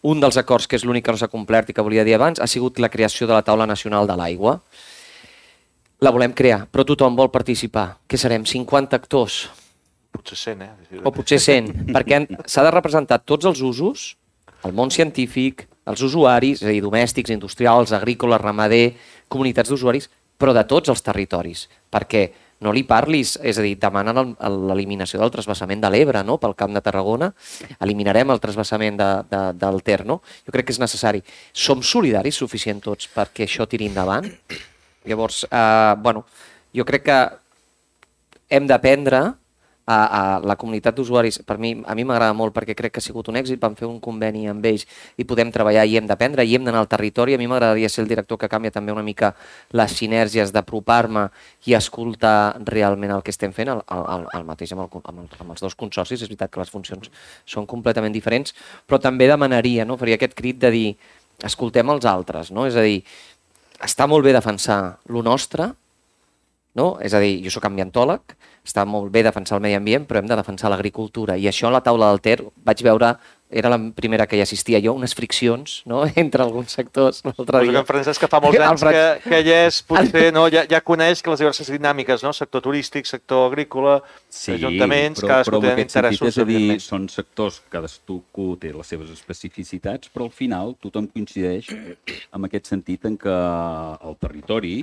Un dels acords, que és l'únic que no s'ha complert i que volia dir abans, ha sigut la creació de la taula nacional de l'aigua. La volem crear, però tothom vol participar. Què serem, cinquanta actors? Potser cent, eh? O potser cent, perquè s'ha de representar tots els usos, el món científic, els usuaris, és a dir, domèstics, industrials, agrícoles, ramader, comunitats d'usuaris, però de tots els territoris, perquè no li parlis, és a dir, demanen l'eliminació del transvasament de l'Ebre, no?, pel Camp de Tarragona, eliminarem el transvasament de, de, del Ter, no? Jo crec que és necessari. Som solidaris suficient tots perquè això tiri endavant? Llavors, eh, bueno, jo crec que hem d'aprendre a, a la comunitat d'usuaris. Per mi, a mi m'agrada molt perquè crec que ha sigut un èxit, vam fer un conveni amb ells i podem treballar i hem d'aprendre i hem d'anar al territori. A mi m'agradaria ser el director que canvia també una mica les sinèrgies d'apropar-me i escoltar realment el que estem fent, el, el, el mateix amb, el, amb, el, amb els dos consorcis. És veritat que les funcions són completament diferents, però també demanaria, no? Faria aquest crit de dir, escoltem els altres, no? És a dir, està molt bé defensar lo nostre, no? És a dir, jo soc ambientòleg, està molt bé defensar el medi ambient, però hem de defensar l'agricultura. I això a la taula del Ter vaig veure, era la primera que hi assistia jo, unes friccions, no?, entre alguns sectors l'altre dia. En Francesc, que fa molts anys que, que ella és, potser, no, ja, ja coneix que les diverses dinàmiques, no?, sector turístic, sector agrícola, sí, ajuntaments, però, cadascú té interessos. És a dir, són sectors, cadascú té les seves especificitats, però al final tothom coincideix en aquest sentit en que el territori,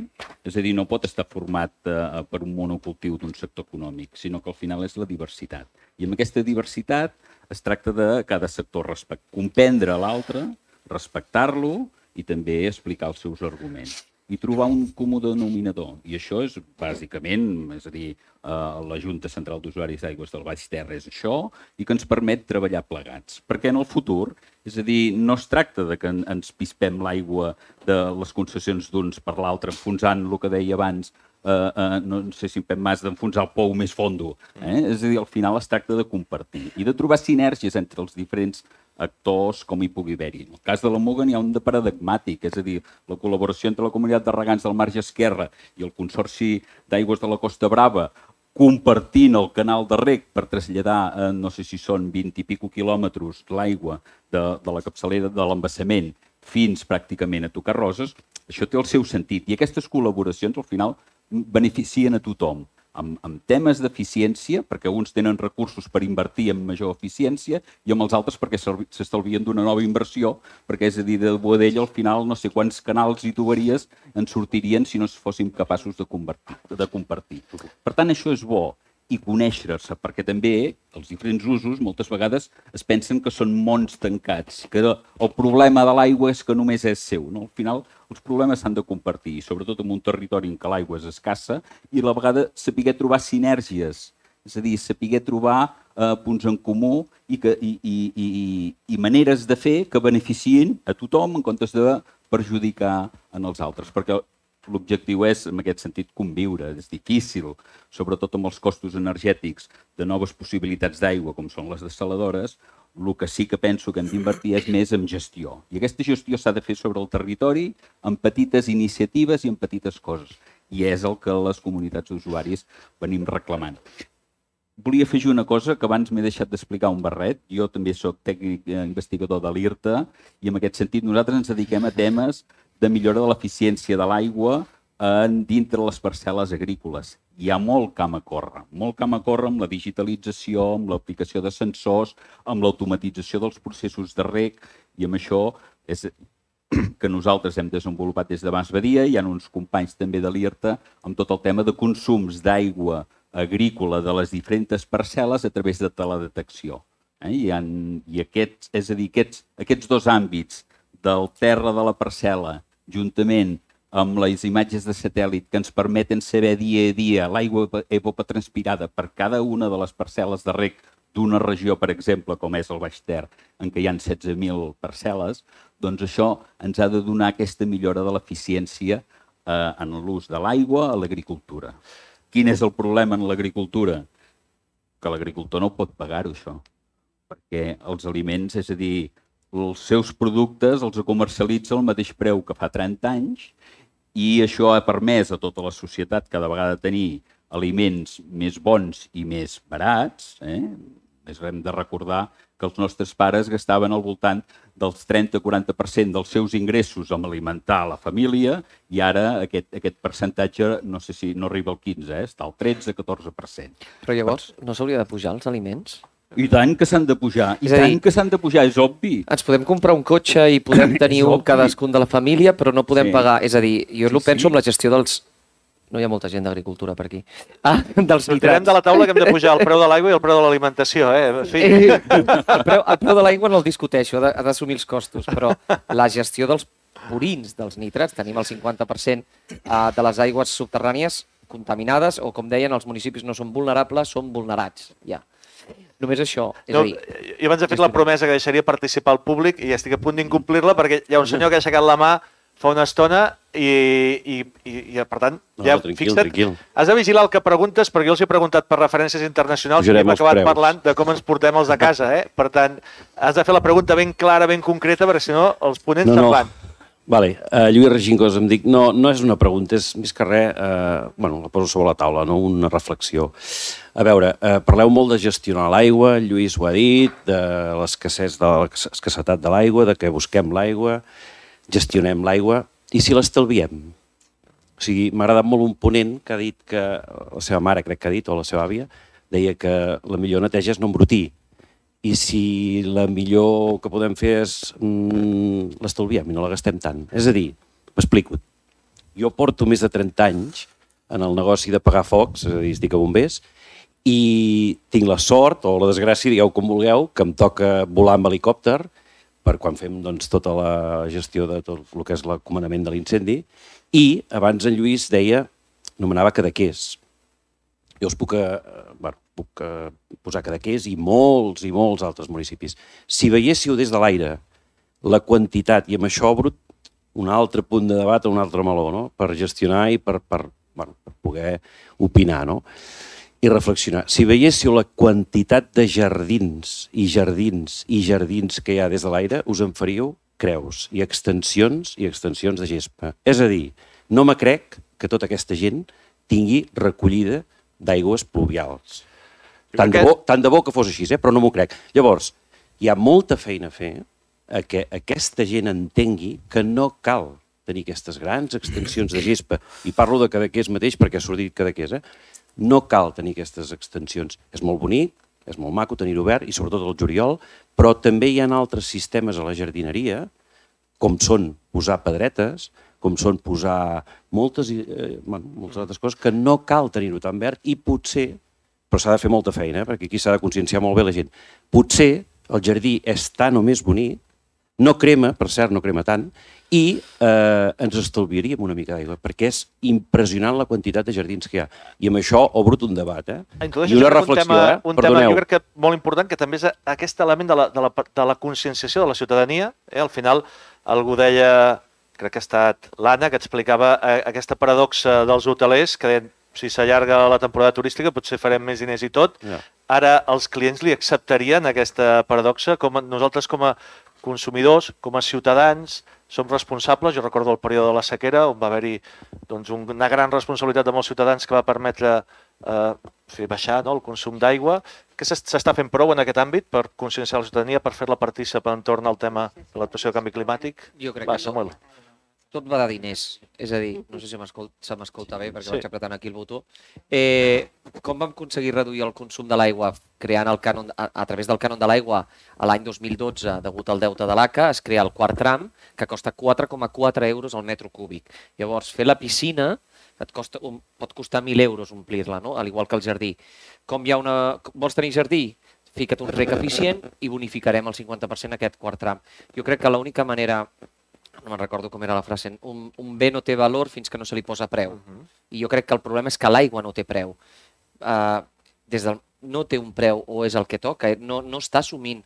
és a dir, no pot estar format eh, per un monocultiu d'un sector econòmic, sinó que al final és la diversitat. I amb aquesta diversitat es tracta de cada sector respect, comprendre l'altre, respectar-lo i també explicar els seus arguments i trobar un comú denominador. I això és bàsicament, és a dir, eh, la Junta Central d'Usuaris d'Aigües del Baix Ter és això i que ens permet treballar plegats. Perquè en el futur, és a dir, no es tracta de que ens pispem l'aigua de les concessions d'uns per l'altre, enfonsant el que deia abans, Uh, uh, no sé si en Pep Mas, d'enfonsar el pou més fondo. Eh? És a dir, al final es tracta de compartir i de trobar sinergies entre els diferents actors com hi pugui haver-hi. En el cas de la Muga n'hi ha un de paradigmàtic, és a dir, la col·laboració entre la comunitat de regants del marge esquerre i el Consorci d'Aigües de la Costa Brava, compartint el canal de reg per traslladar, eh, no sé si són vint i pico quilòmetres, l'aigua de, de la capçalera de l'embassament fins pràcticament a tocar Roses, això té el seu sentit. I aquestes col·laboracions, al final, beneficien a tothom, amb, amb temes d'eficiència, perquè uns tenen recursos per invertir en major eficiència i amb els altres perquè s'estalvien d'una nova inversió, perquè és a dir, de Boadell al final no sé quants canals i tuberies en sortirien si no fóssim capaços de, de compartir. Per tant, això és bo. I conèixer-se, perquè també els diferents usos moltes vegades es pensen que són mons tancats, que el problema de l'aigua és que només és seu. No? Al final, els problemes s'han de compartir, i sobretot en un territori en què l'aigua és escassa, i a la vegada saber trobar sinergies, és a dir, saber trobar eh, punts en comú i, que, i, i, i, i maneres de fer que beneficien a tothom en comptes de perjudicar en els altres. Perquè l'objectiu és, en aquest sentit, conviure. És difícil, sobretot amb els costos energètics de noves possibilitats d'aigua, com són les dessaladores. El que sí que penso que hem d'invertir és més en gestió. I aquesta gestió s'ha de fer sobre el territori, amb petites iniciatives i amb petites coses. I és el que les comunitats d'usuaris venim reclamant. Volia afegir una cosa que abans m'he deixat d'explicar un barret. Jo també soc tècnic investigador de l'IRTA i en aquest sentit nosaltres ens dediquem a temes de millora de l'eficiència de l'aigua dintre les parcel·les agrícoles. Hi ha molt camp a córrer, molt camp a córrer amb la digitalització, amb l'aplicació de sensors, amb l'automatització dels processos de reg, i amb això és que nosaltres hem desenvolupat des de Mas Badia. Hi ha uns companys també de l'I R T A amb tot el tema de consums d'aigua agrícola de les diferents parcel·les a través de teledetecció. Eh? I, ha, i aquests, és a dir, aquests, aquests dos àmbits del terra de la parcel·la, juntament amb les imatges de satèl·lit que ens permeten saber dia a dia l'aigua evapotranspirada per cada una de les parcel·les de reg d'una regió, per exemple, com és el Baix Ter, en què hi ha setze mil parcel·les, doncs això ens ha de donar aquesta millora de l'eficiència eh, en l'ús de l'aigua a l'agricultura. Quin és el problema en l'agricultura? Que l'agricultor no pot pagar-ho, això. Perquè els aliments, és a dir, els seus productes els comercialitza al mateix preu que fa trenta anys, i això ha permès a tota la societat cada vegada tenir aliments més bons i més barats. Eh? Hem de recordar que els nostres pares gastaven al voltant del trenta a quaranta per cent dels seus ingressos en alimentar la família, i ara aquest, aquest percentatge no sé si no arriba al quinze, eh? Està al tretze a catorze per cent. Però llavors no s'hauria de pujar els aliments? I tant que s'han de pujar, i tant que s'han de pujar, és obvi. Ens podem comprar un cotxe i podem tenir un cadascun de la família, però no podem pagar. És a dir, jo ho penso amb la gestió dels... No hi ha molta gent d'agricultura per aquí. Ah, dels nitrats. Sortirem de la taula que hem de pujar el preu de l'aigua i el preu de l'alimentació, eh? En fi. El preu, el preu de l'aigua no el discuteixo, ha d'assumir els costos, però la gestió dels purins, dels nitrats, tenim el cinquanta per cent de les aigües subterrànies contaminades, o com deien, els municipis no són vulnerables, són vulnerats, ja. Només això. És no, a dir, jo abans he fet la promesa que deixaria participar el públic i estic a punt d'incomplir-la perquè hi ha un senyor que ha aixecat la mà fa una estona i, i, i, i per tant, no, ja, no, tranquil, fixa't, tranquil. Has de vigilar el que preguntes perquè jo els he preguntat per referències internacionals i hem acabat parlant de com ens portem els de casa. Eh? Per tant, has de fer la pregunta ben clara, ben concreta, perquè si no els ponents no, se'n no. van. Vale, uh, Lluís Regingos, em dic, no, no és una pregunta, és més que res, uh, bueno, la poso sobre la taula, no? Una reflexió. A veure, uh, parleu molt de gestionar l'aigua, Lluís ho ha dit, de l'escassetat de, l'escassetat de l'aigua, de que busquem l'aigua, gestionem l'aigua, i si l'estalviem? O sigui, m'ha agradat molt un ponent que ha dit que, la seva mare crec que ha dit, o la seva àvia, deia que la millor neteja és no embrutir. I si la millor que podem fer és mm, l'estalviem i no la gastem tant. És a dir, m'explico. Jo porto més de trenta anys en el negoci de pagar focs, és a dir, estic a bombers, i tinc la sort o la desgràcia, digueu com vulgueu, que em toca volar amb helicòpter per quan fem doncs, tota la gestió de tot el que és el comandament de l'incendi. I abans en Lluís deia, anomenava Cadaqués. Jo us puc, eh, bueno, puc eh, posar Cadaqués i molts i molts altres municipis. Si veiéssiu des de l'aire la quantitat, i amb això obro un altre punt de debat o un altre meló, no? Per gestionar i per, per, bueno, per poder opinar, no? I reflexionar. Si veiéssiu la quantitat de jardins i jardins i jardins que hi ha des de l'aire, us en faríeu creus i extensions i extensions de gespa. És a dir, no me crec que tota aquesta gent tingui recollida d'aigües pluvials. Tant de, bo, tant de bo que fos així, eh? Però no m'ho crec. Llavors, hi ha molta feina a fer a que aquesta gent entengui que no cal tenir aquestes grans extensions de gespa, i parlo de Cadaqués mateix perquè ha sortit Cadaqués, eh? No cal tenir aquestes extensions. És molt bonic, és molt maco tenir-ho obert, i sobretot el juliol, però també hi ha altres sistemes a la jardineria, com són posar pedretes, com són posar moltes, eh, bueno, moltes altres coses, que no cal tenir-ho tan verd, i potser, però s'ha de fer molta feina, eh, perquè aquí s'ha de conscienciar molt bé la gent, potser el jardí és tan o més bonic, no crema, per cert, no crema tant, i eh, ens estalviaríem una mica d'aigua, perquè és impressionant la quantitat de jardins que hi ha. I amb això obro un debat, eh? I una reflexió, un tema, eh? Un tema, jo crec que molt important, que també és aquest element de la, de la, de la conscienciació de la ciutadania. Eh? Al final, algú deia, crec que ha estat l'Anna, que explicava eh, aquesta paradoxa dels hotelers, que deien, si s'allarga la temporada turística potser farem més diners i tot. Yeah. Ara els clients li acceptarien aquesta paradoxa, com nosaltres com a consumidors, com a ciutadans, som responsables. Jo recordo el període de la sequera, on va haver-hi doncs, una gran responsabilitat de molts ciutadans que va permetre eh, fer baixar, no?, el consum d'aigua. Què s'està fent prou en aquest àmbit per conscienciar la ciutadania, per fer-la partícip entorn al tema de l'actuació del canvi climàtic? Jo crec va, que Samuel. no. tot va de diners. És a dir, no sé si se m'escolta bé perquè vaig apretant aquí el botó. Com vam aconseguir reduir el consum de l'aigua creant el cànon, a través del cànon de l'aigua a l'any dos mil dotze, degut al deute de l'A C A, es crea el quart tram, que costa quatre coma quatre euros al metre cúbic. Llavors, fer la piscina et costa, pot costar mil euros omplir-la, no? Al igual que el jardí. Com hi ha una... Vols tenir jardí? Fica't un rec eficient i bonificarem el cinquanta per cent aquest quart tram. Jo crec que l'única manera... No me'n recordo com era la frase. Un, un bé no té valor fins que no se li posa preu. Uh-huh. I jo crec que el problema és que l'aigua no té preu. Uh, des del... no té un preu o és el que toca, no, no està assumint.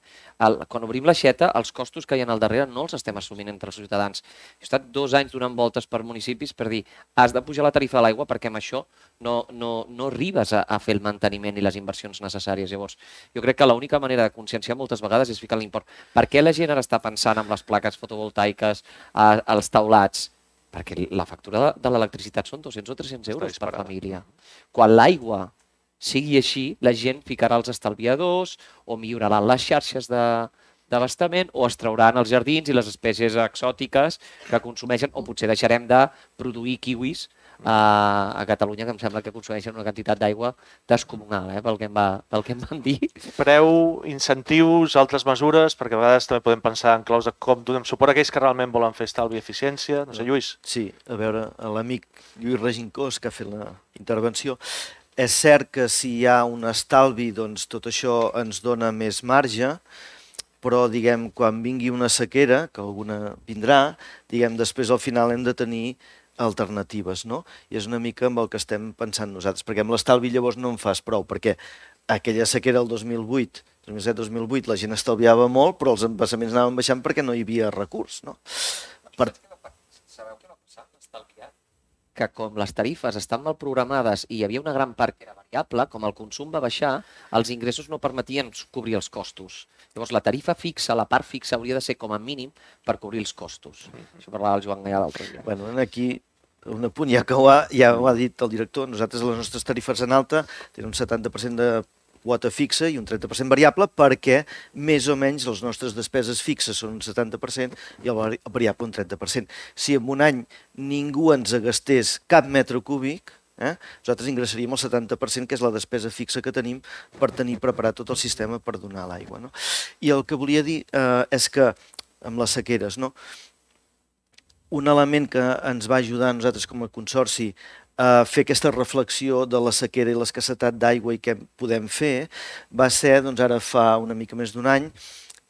El, quan obrim l'aixeta, els costos que hi ha al darrere no els estem assumint entre els ciutadans. He estat dos anys donant voltes per municipis per dir has de pujar la tarifa de l'aigua perquè amb això no, no, no arribes a, a fer el manteniment i les inversions necessàries. Llavors, jo crec que l'única manera de conscienciar moltes vegades és ficar l'import. Per què la gent ara està pensant en les plaques fotovoltaiques, a, als taulats? Perquè la factura de, de l'electricitat són dos-cents o tres-cents euros per família. Quan l'aigua sigui així, la gent ficarà els estalviadors o milloraran les xarxes d'abastament o es trauran els jardins i les espècies exòtiques que consumeixen, o potser deixarem de produir kiwis a, a Catalunya, que em sembla que consumeixen una quantitat d'aigua descomunal, eh, pel, que em va, pel que em van dir. Preu, incentius, altres mesures, perquè a vegades també podem pensar en claus de com donem suport a aquells que realment volen fer estalvi i eficiència. No sé, Lluís. Sí, a veure, l'amic Lluís Regincós, que ha fet la intervenció, és cert que si hi ha un estalvi, doncs tot això ens dona més marge, però, diguem, quan vingui una sequera, que alguna vindrà, diguem, després al final hem de tenir alternatives, no? I és una mica amb el que estem pensant nosaltres, perquè amb l'estalvi llavors no en fas prou, perquè aquella sequera el dos mil vuit, dos mil set dos mil vuit, la gent estalviava molt, però els embassaments anaven baixant perquè no hi havia recurs, no? Per... Sabeu què va passar amb l'estalviat? Que com les tarifes estan mal programades i hi havia una gran part que era variable, com el consum va baixar, els ingressos no permetien cobrir els costos. Llavors, la tarifa fixa, la part fixa, hauria de ser com a mínim per cobrir els costos. Això parlava el Joan Gaià l'altre dia. Bueno, aquí, un apunt, ja que ho ha, ja ho ha dit el director, nosaltres les nostres tarifes en alta tenen un setanta per cent de quota fixa i un trenta per cent variable perquè més o menys les nostres despeses fixes són un setanta per cent i el variable un trenta per cent. Si en un any ningú ens gastés cap metre cúbic, eh, nosaltres ingressaríem el setanta per cent, que és la despesa fixa que tenim per tenir preparat tot el sistema per donar l'aigua. No? I el que volia dir eh, és que, amb les sequeres, no? Un element que ens va ajudar a nosaltres com a consorci a fer aquesta reflexió de la sequera i l'escassetat d'aigua i què podem fer va ser, doncs ara fa una mica més d'un any,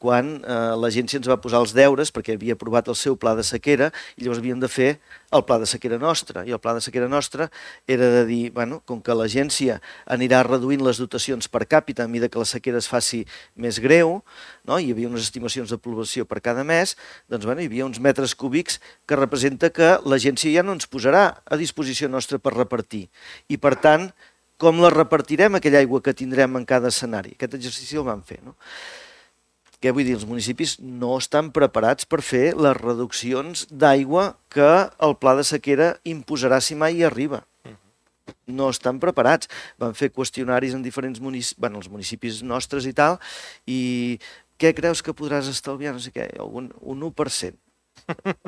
quan eh, l'agència ens va posar els deures perquè havia aprovat el seu pla de sequera i llavors havíem de fer el pla de sequera nostre. I el pla de sequera nostre era de dir, bueno, com que l'agència anirà reduint les dotacions per càpita a mesura que la sequera es faci més greu, no? Hi havia unes estimacions de població per cada mes, doncs bueno, hi havia uns metres cúbics que representa que l'agència ja no ens posarà a disposició nostra per repartir. I per tant, com la repartirem aquella aigua que tindrem en cada escenari? Aquest exercici el vam fer, no? Què vull dir? Els municipis no estan preparats per fer les reduccions d'aigua que el pla de sequera imposarà si mai hi arriba. No estan preparats. Van fer qüestionaris en diferents municipis, bueno, els municipis nostres i tal, i què creus que podràs estalviar? No sé què, un, un u per cent.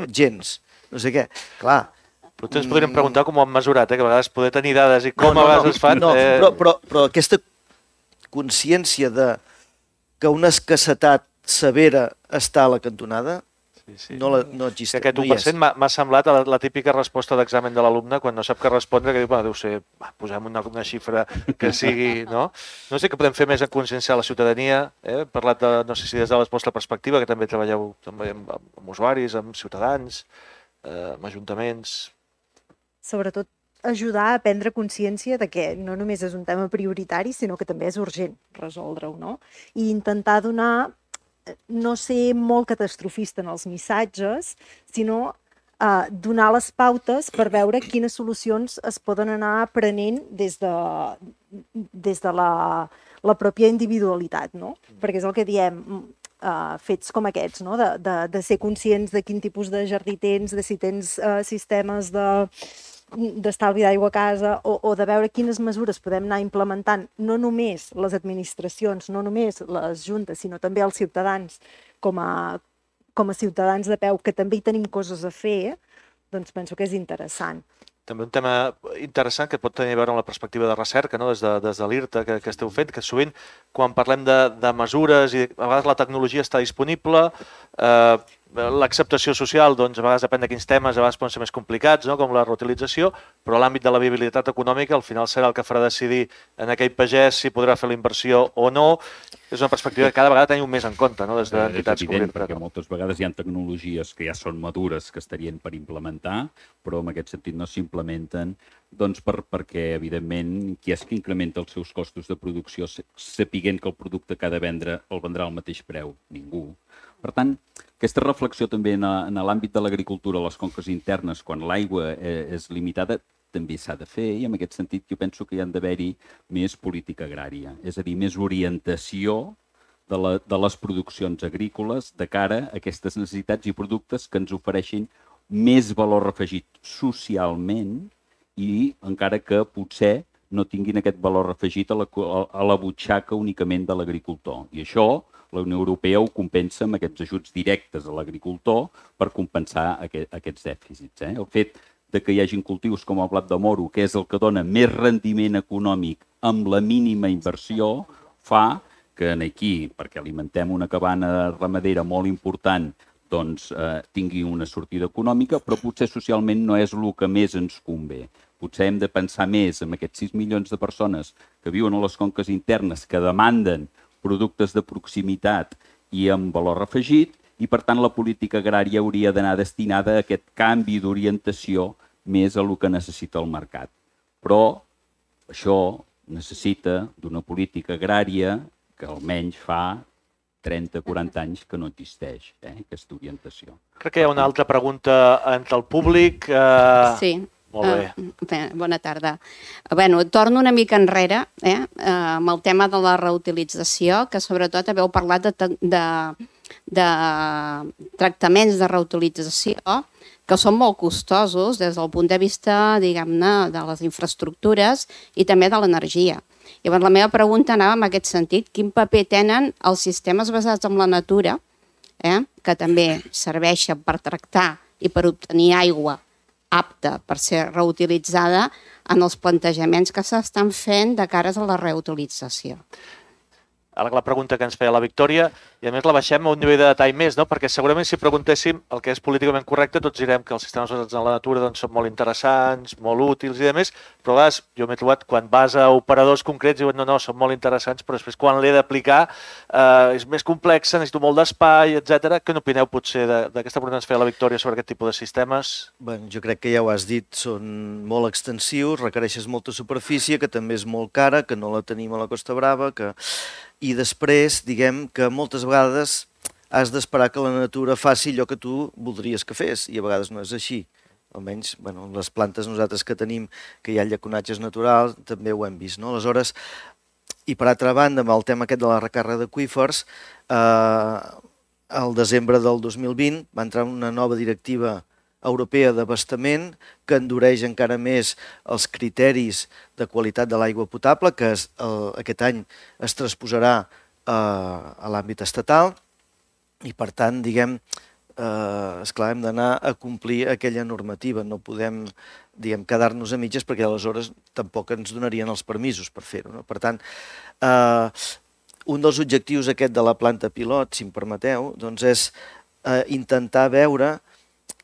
Gens. No sé què. Clar. Però ens podríem preguntar com ho han mesurat, eh? Que a vegades poder tenir dades i com no, no, a vegades no, es fan... No, eh... però, però, però aquesta consciència de que una escassetat severa està a la cantonada, sí, sí. no, la, no existeix. Sí, aquest u per cent no m'ha semblat la, la típica resposta d'examen de l'alumne quan no sap què respondre, que diu, bueno, deu ser, va, posem una, una xifra que sigui, no? No sé què podem fer més en conscienciar la ciutadania, eh? He parlat de, no sé si des de la vostra perspectiva, que també treballeu també amb, amb usuaris, amb ciutadans, eh, amb ajuntaments... Sobretot ajudar a prendre consciència de que no només és un tema prioritari, sinó que també és urgent resoldre-ho, no? I intentar donar, no ser molt catastrofista en els missatges, sinó eh, donar les pautes per veure quines solucions es poden anar prenent des de, des de la, la pròpia individualitat, no? Perquè és el que diem, Uh, fets com aquests, no? de, de, de ser conscients de quin tipus de jardí tens, de si tens uh, sistemes de d'estalvi d'aigua a casa o, o de veure quines mesures podem anar implementant, no només les administracions, no només les juntes, sinó també els ciutadans com a, com a ciutadans de peu, que també hi tenim coses a fer, doncs penso que és interessant. També un tema interessant que pot tenir a veure amb la perspectiva de recerca, no? des de, des de l'I R T A que, que esteu fent, que sovint quan parlem de, de mesures i a vegades la tecnologia està disponible, eh, l'acceptació social, doncs, a vegades depèn de quins temes, a vegades poden ser més complicats, no? com la reutilització, però l'àmbit de la viabilitat econòmica al final serà el que farà decidir en aquell pagès si podrà fer la inversió o no. És una perspectiva que cada vegada tenim més en compte, no? des d'entitats és com evident, l'I R T A. perquè moltes vegades hi ha tecnologies que ja són madures, que estarien per implementar, però en aquest sentit no s'implementen doncs per, perquè, evidentment, qui és que incrementa els seus costos de producció sapiguent que el producte que ha de vendre el vendrà al mateix preu? Ningú. Per tant, aquesta reflexió també en, en l'àmbit de l'agricultura, les conques internes, quan l'aigua és limitada, també s'ha de fer, i en aquest sentit jo penso que hi ha d'haver-hi més política agrària, és a dir, més orientació de, la, de les produccions agrícoles de cara a aquestes necessitats i productes que ens ofereixin més valor afegit socialment i encara que potser no tinguin aquest valor afegit a la, a la butxaca únicament de l'agricultor. I això la Unió Europea ho compensa amb aquests ajuts directes a l'agricultor per compensar aquest, aquests dèficits. Eh? El fet de que hi hagin cultius com el blat de moro, que és el que dona més rendiment econòmic amb la mínima inversió, fa que aquí, perquè alimentem una cabana ramadera molt important, doncs eh, tingui una sortida econòmica, però potser socialment no és el que més ens convé. Potser hem de pensar més en aquests sis milions de persones que viuen a les conques internes, que demanden productes de proximitat i amb valor afegit, i per tant la política agrària hauria d'anar destinada a aquest canvi d'orientació més a el que necessita el mercat. Però això necessita d'una política agrària que almenys fa trenta a quaranta anys que no existeix, eh, aquesta orientació. Crec que hi ha una altra pregunta entre el públic. Eh... Sí. Molt bé. Uh, bona tarda. Bueno, torno una mica enrere eh, amb el tema de la reutilització, que sobretot haveu parlat de, de, de tractaments de reutilització que són molt costosos des del punt de vista, diguem-ne, de les infraestructures i també de l'energia. Llavors, la meva pregunta anava en aquest sentit. Quin paper tenen els sistemes basats en la natura, eh, que també serveixen per tractar i per obtenir aigua apta per ser reutilitzada en els plantejaments que s'estan fent de cares a la reutilització? Ara la pregunta que ens feia la Victòria, i a més la baixem a un nivell de detall més, no? Perquè segurament si preguntéssim el que és políticament correcte, tots direm que els sistemes basats en la natura doncs, són molt interessants, molt útils i demés, però a vegades jo m'he trobat quan vas a operadors concrets i diuen no, no, són molt interessants, però després quan l'he d'aplicar eh, és més complex, necessito molt d'espai, etcètera. Què n'opineu potser d'aquesta pregunta que ens feia la Victòria sobre aquest tipus de sistemes? Bé, jo crec que ja ho has dit, són molt extensius, requereixes molta superfície, que també és molt cara, que no la tenim a la Costa Brava, que... I després, diguem que moltes vegades has d'esperar que la natura faci allò que tu voldries que fes, i a vegades no és així. Almenys, bueno, les plantes nosaltres que tenim, que hi ha llaconatges naturals, també ho hem vist, no? Aleshores, i per altra banda, amb el tema aquest de la recàrrega d'aqüífers, eh, al desembre del dos mil vint va entrar una nova directiva europea d'abastament que endureix encara més els criteris de qualitat de l'aigua potable, que es, el, aquest any es transposarà eh, a l'àmbit estatal i, per tant, diguem, eh, esclar, hem d'anar a complir aquella normativa. No podem, diguem, quedar-nos a mitges perquè aleshores tampoc ens donarien els permisos per fer-ho, no? Per tant, eh, un dels objectius aquest de la planta pilot, si em permeteu, doncs és eh, intentar veure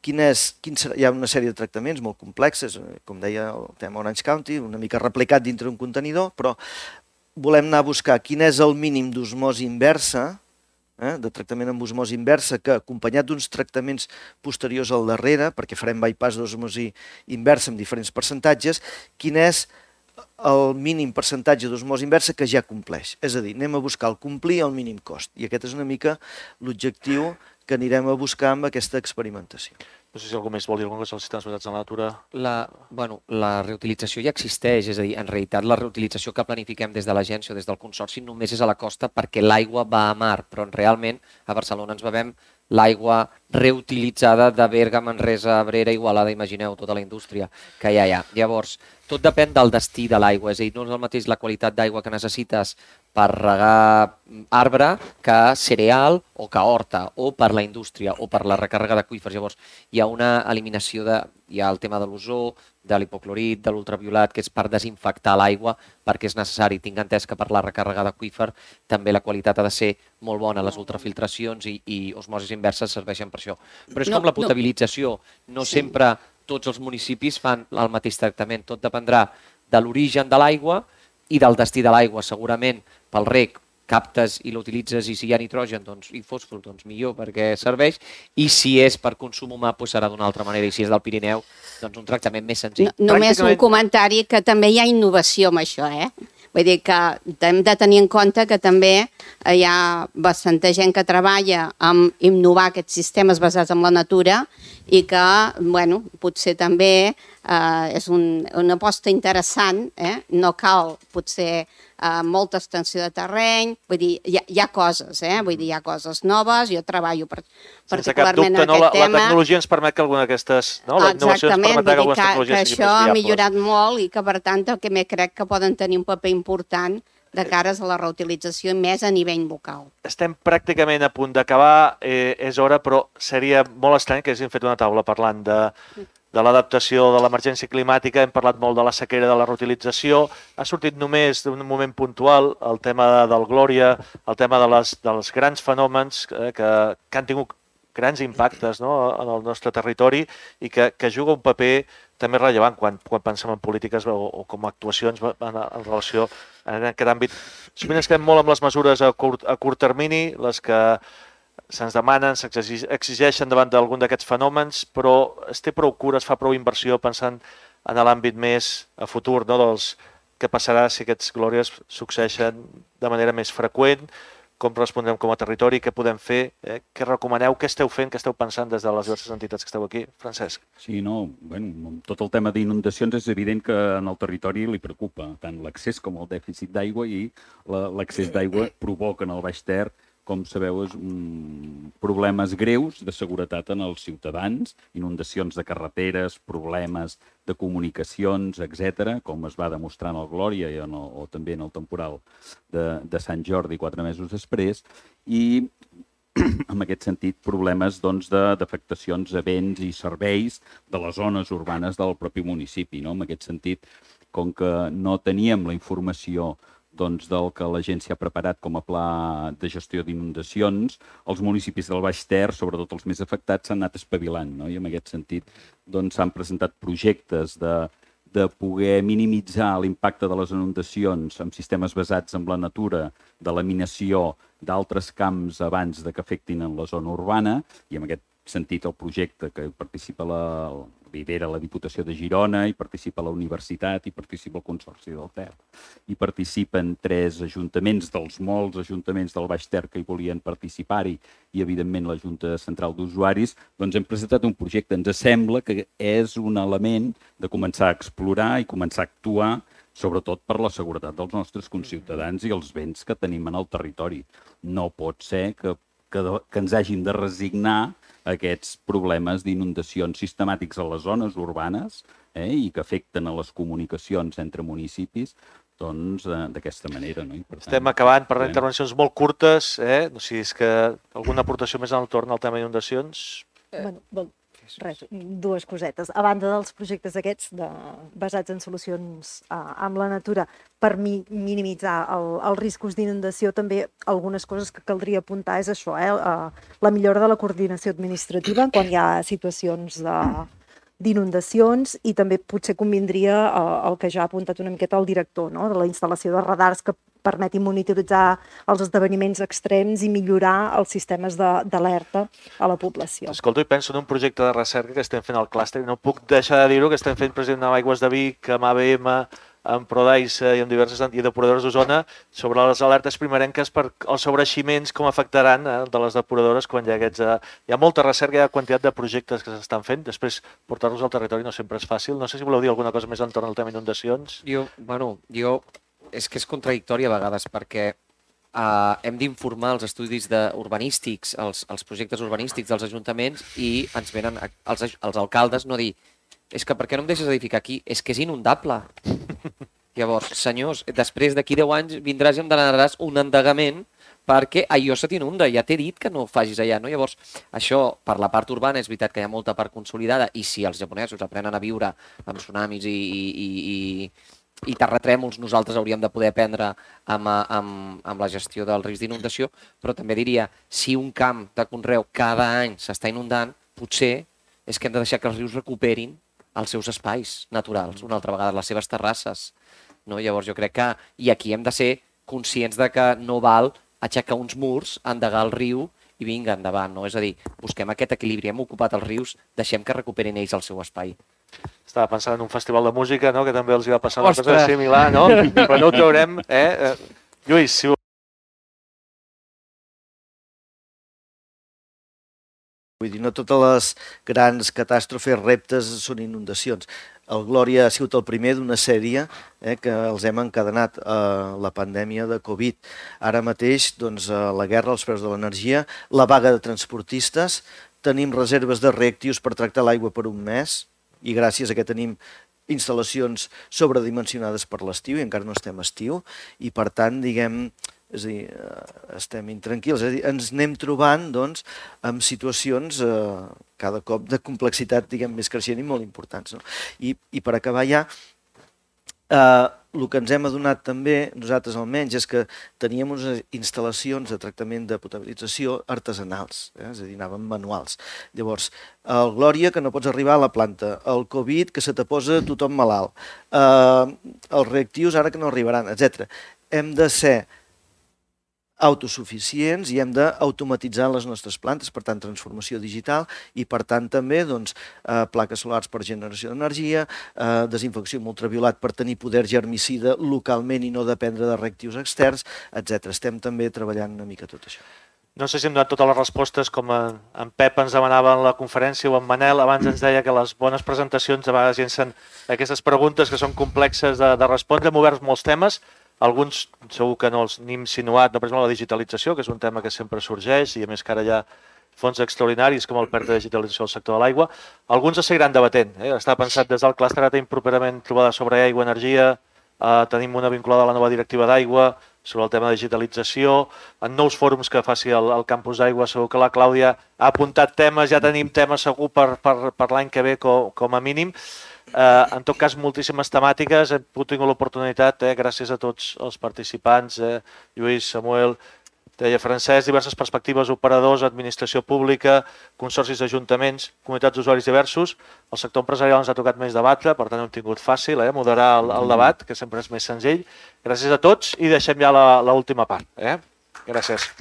Quin és, quin serà, hi ha una sèrie de tractaments molt complexes, com deia el tema Orange County, una mica replicat dintre un contenidor, però volem anar a buscar quin és el mínim d'osmosi inversa, eh, de tractament amb osmosi inversa, que acompanyat d'uns tractaments posteriors al darrere, perquè farem bypass d'osmosi inversa amb diferents percentatges, quin és el mínim percentatge d'osmosi inversa que ja compleix. És a dir, anem a buscar el complir al mínim cost. I aquest és una mica l'objectiu que anirem a buscar amb aquesta experimentació. No sé si algú més vol dir alguna cosa als sistemes basats en la natura. La, bueno, la reutilització ja existeix, és a dir, en realitat la reutilització que planifiquem des de l'agència o des del consorci només és a la costa perquè l'aigua va a mar, però realment a Barcelona ens bevem l'aigua reutilitzada de Berga, Manresa, Abrera, Igualada, imagineu, tota la indústria que hi ha allà. Llavors, tot depèn del destí de l'aigua, és a dir, no és el mateix la qualitat d'aigua que necessites per regar arbre que cereal o que horta, o per la indústria, o per la recàrrega d'aqüífers. Llavors, hi ha una eliminació de... Hi ha el tema de l'ozó, de l'hipoclorit, de l'ultraviolat, que és per desinfectar l'aigua, perquè és necessari. Tinc entès que per la recàrrega d'aqüífer també la qualitat ha de ser molt bona. Les ultrafiltracions i, i osmosis inverses serveixen per això. Però és No, com la no. potabilització. No Sí. sempre tots els municipis fan el mateix tractament. Tot dependrà de l'origen de l'aigua i del destí de l'aigua. Segurament pel reg captes i l'utilitzes i si hi ha nitrogen doncs, i fòsfor, doncs millor perquè serveix, i si és per consum humà doncs serà d'una altra manera, i si és del Pirineu doncs un tractament més senzill. No, només un Pràcticament- comentari que també hi ha innovació amb això, eh? Vull dir que hem de tenir en compte que també hi ha bastanta gent que treballa amb innovar aquests sistemes basats en la natura i que, bueno, potser també eh, és un, una aposta interessant, eh? No cal, potser, eh, molta extensió de terreny, vull dir, hi ha, hi ha coses, eh? Vull dir, hi ha coses noves, jo treballo per, Sense cap particularment dubte, en no? La, aquest la tema. tecnologia ens permet que alguna d'aquestes... No? La innovació ens Exactament, permet que vull dir algunes que, que tecnologies siguin això més ha viables. millorat molt i que, per tant, també crec que poden tenir un paper important de cares a la reutilització i més a nivell local. Estem pràcticament a punt d'acabar, eh, és hora, però seria molt estrany que haguéssim fet una taula parlant de, de l'adaptació de l'emergència climàtica, hem parlat molt de la sequera, de la reutilització, ha sortit només d'un moment puntual el tema del Glòria, el tema de les, dels grans fenòmens eh, que, que han tingut grans impactes, no?, en el nostre territori i que, que juga un paper també rellevant quan, quan pensem en polítiques o, o com a actuacions en, en relació en aquest àmbit. Sovint ens quedem molt amb les mesures a curt, a curt termini, les que se'ns demanen, s'exigeixen davant d'algun d'aquests fenòmens, però es té prou cura, es fa prou inversió pensant en l'àmbit més a futur, no?, dels què passarà si aquests glòries succeeixen de manera més freqüent, com respondrem com a territori, què podem fer, eh? Què recomaneu, què esteu fent, què esteu pensant des de les diverses entitats que esteu aquí. Francesc. Sí, no, bueno, tot el tema d'inundacions és evident que en el territori li preocupa tant l'accés com el dèficit d'aigua i l'accés d'aigua provoca en el Baix Ter, com sabeu, és un... problemes greus de seguretat en els ciutadans, inundacions de carreteres, problemes de comunicacions, etcètera, com es va demostrar en el Glòria i en el, o també en el temporal de, de Sant Jordi quatre mesos després, i en aquest sentit problemes doncs, d'afectacions a béns i serveis de les zones urbanes del propi municipi. No? En aquest sentit, com que no teníem la informació doncs, del que l'agència ha preparat com a pla de gestió d'inundacions, els municipis del Baix Ter, sobretot els més afectats, s'han anat espavilant, no? I en aquest sentit doncs, s'han presentat projectes de, de poder minimitzar l'impacte de les inundacions amb sistemes basats en la natura, de laminació d'altres camps abans de que afectin en la zona urbana, i en aquest sentit el projecte que participa la, lidera la Diputació de Girona, hi participa la Universitat, hi participa el Consorci del Ter. Hi participen tres ajuntaments dels molts ajuntaments del Baix Ter que hi volien participar-hi i, evidentment, la Junta Central d'Usuaris, doncs hem presentat un projecte. Ens sembla que és un element de començar a explorar i començar a actuar, sobretot per la seguretat dels nostres conciutadans i els béns que tenim en el territori. No pot ser que, que, que ens hàgim de resignar aquests problemes d'inundacions sistemàtics a les zones urbanes eh, i que afecten a les comunicacions entre municipis doncs d'aquesta manera. No? I per tant, estem acabant per eh? intervencions molt curtes, eh? No sé si és que alguna aportació més en el torn al tema d'inundacions. Eh, bueno, bon, res, dues cosetes. A banda dels projectes aquests de, basats en solucions uh, amb la natura per mi, minimitzar el, els riscos d'inundació, també algunes coses que caldria apuntar és això, eh? uh, la millora de la coordinació administrativa quan hi ha situacions de d'inundacions i també potser convindria uh, el que ja ha apuntat una miqueta el director, no? De la instal·lació de radars que permetin monitoritzar els esdeveniments extrems i millorar els sistemes d'alerta a la població. Escolto i penso en un projecte de recerca que estem fent al clúster i no puc deixar de dir-ho, que estem fent president amb Aigües de Vic, amb A B M, amb Prodaisa i amb diverses i depuradores d'Osona sobre les alertes primerenques per els sobreeiximents, com afectaran eh, de les depuradores quan hi ha aquests... Eh, hi ha molta recerca, hi ha quantitat de projectes que s'estan fent, després portar-los al territori no sempre és fàcil. No sé si voleu dir alguna cosa més entorn al tema inundacions. Jo, bueno, jo... És que és contradictori a vegades perquè uh, hem d'informar els estudis de urbanístics, els, els projectes urbanístics dels ajuntaments i ens venen els, els alcaldes no dir és que per què no em deixes edificar aquí? És que és inundable. Llavors, senyors, després d'aquí deu anys vindràs i em demanaràs un endegament perquè allò se t'inunda, ja t'he dit que no ho facis allà, no? Llavors, això, per la part urbana, és veritat que hi ha molta part consolidada i si els japonesos aprenen a viure amb tsunamis i, i, i, i terratrèmols, nosaltres hauríem de poder aprendre amb, amb, amb la gestió dels riscs d'inundació, però també diria, si un camp de conreu cada any s'està inundant, potser és que hem de deixar que els rius recuperin els seus espais naturals, una altra vegada, les seves terrasses. No? Llavors, jo crec que, i aquí hem de ser conscients de que no val aixecar uns murs, endegar el riu i vinga, endavant. No? És a dir, busquem aquest equilibri, hem ocupat els rius, deixem que recuperin ells el seu espai. Estava pensant en un festival de música, no?, que també els hi va passar una cosa similar, no? Però no ho traurem, eh? Lluís, si ho... Vull dir, no totes les grans catàstrofes, reptes, són inundacions. El Glòria ha sigut el primer d'una sèrie eh, que els hem encadenat a la pandèmia de Covid. Ara mateix, doncs, la guerra als preus de l'energia, la vaga de transportistes, tenim reserves de reactius per tractar l'aigua per un mes i gràcies a que tenim instal·lacions sobredimensionades per l'estiu i encara no estem a estiu i, per tant, diguem... És a dir, estem intranquils, és a dir, ens anem trobant doncs, amb situacions eh, cada cop de complexitat diguem, més creixent i molt importants. No? I, I per acabar ja, eh, el que ens hem adonat també, nosaltres almenys, és que teníem unes instal·lacions de tractament de potabilització artesanals, eh? És a dir, anaven manuals. Llavors, el Glòria, que no pots arribar a la planta, el Covid, que se te posa tothom malalt, eh, els reactius ara que no arribaran, etcètera. Hem de ser autosuficients i hem d'automatitzar les nostres plantes, per tant, transformació digital i, per tant, també doncs, eh, plaques solars per generació d'energia, eh, desinfecció amb ultraviolat per tenir poder germicida localment i no dependre de reactius externs, etcètera. Estem també treballant una mica tot això. No sé si hem donat totes les respostes, com en Pep ens demanava en la conferència o en Manel, abans ens deia que les bones presentacions a vegades llencen aquestes preguntes que són complexes de, de respondre, hem obert molts temes. Alguns segur que no els n'hem insinuat, no, per exemple, la digitalització, que és un tema que sempre sorgeix, i a més que ara hi ha fons extraordinaris com el PERT de digitalització del sector de l'aigua. Alguns es seguiran debatent. Eh? Està pensat des del clúster, ara tenim properament trobada sobre aigua i energia, eh, tenim una vinculada a la nova directiva d'aigua, sobre el tema de digitalització, en nous fòrums que faci el, el campus d'aigua, segur que la Clàudia ha apuntat temes, ja tenim temes segur per, per, per l'any que ve com, com a mínim. Uh, en tot cas, moltíssimes temàtiques, hem tingut l'oportunitat, eh, gràcies a tots els participants, eh, Lluís, Samuel, deia Francesc, diverses perspectives, operadors, administració pública, consorcis d'ajuntaments, comunitats d'usuaris diversos. El sector empresarial ens ha tocat més debatre, per tant hem tingut fàcil eh, moderar el, el debat, que sempre és més senzill. Gràcies a tots i deixem ja l'última part. Eh? Gràcies.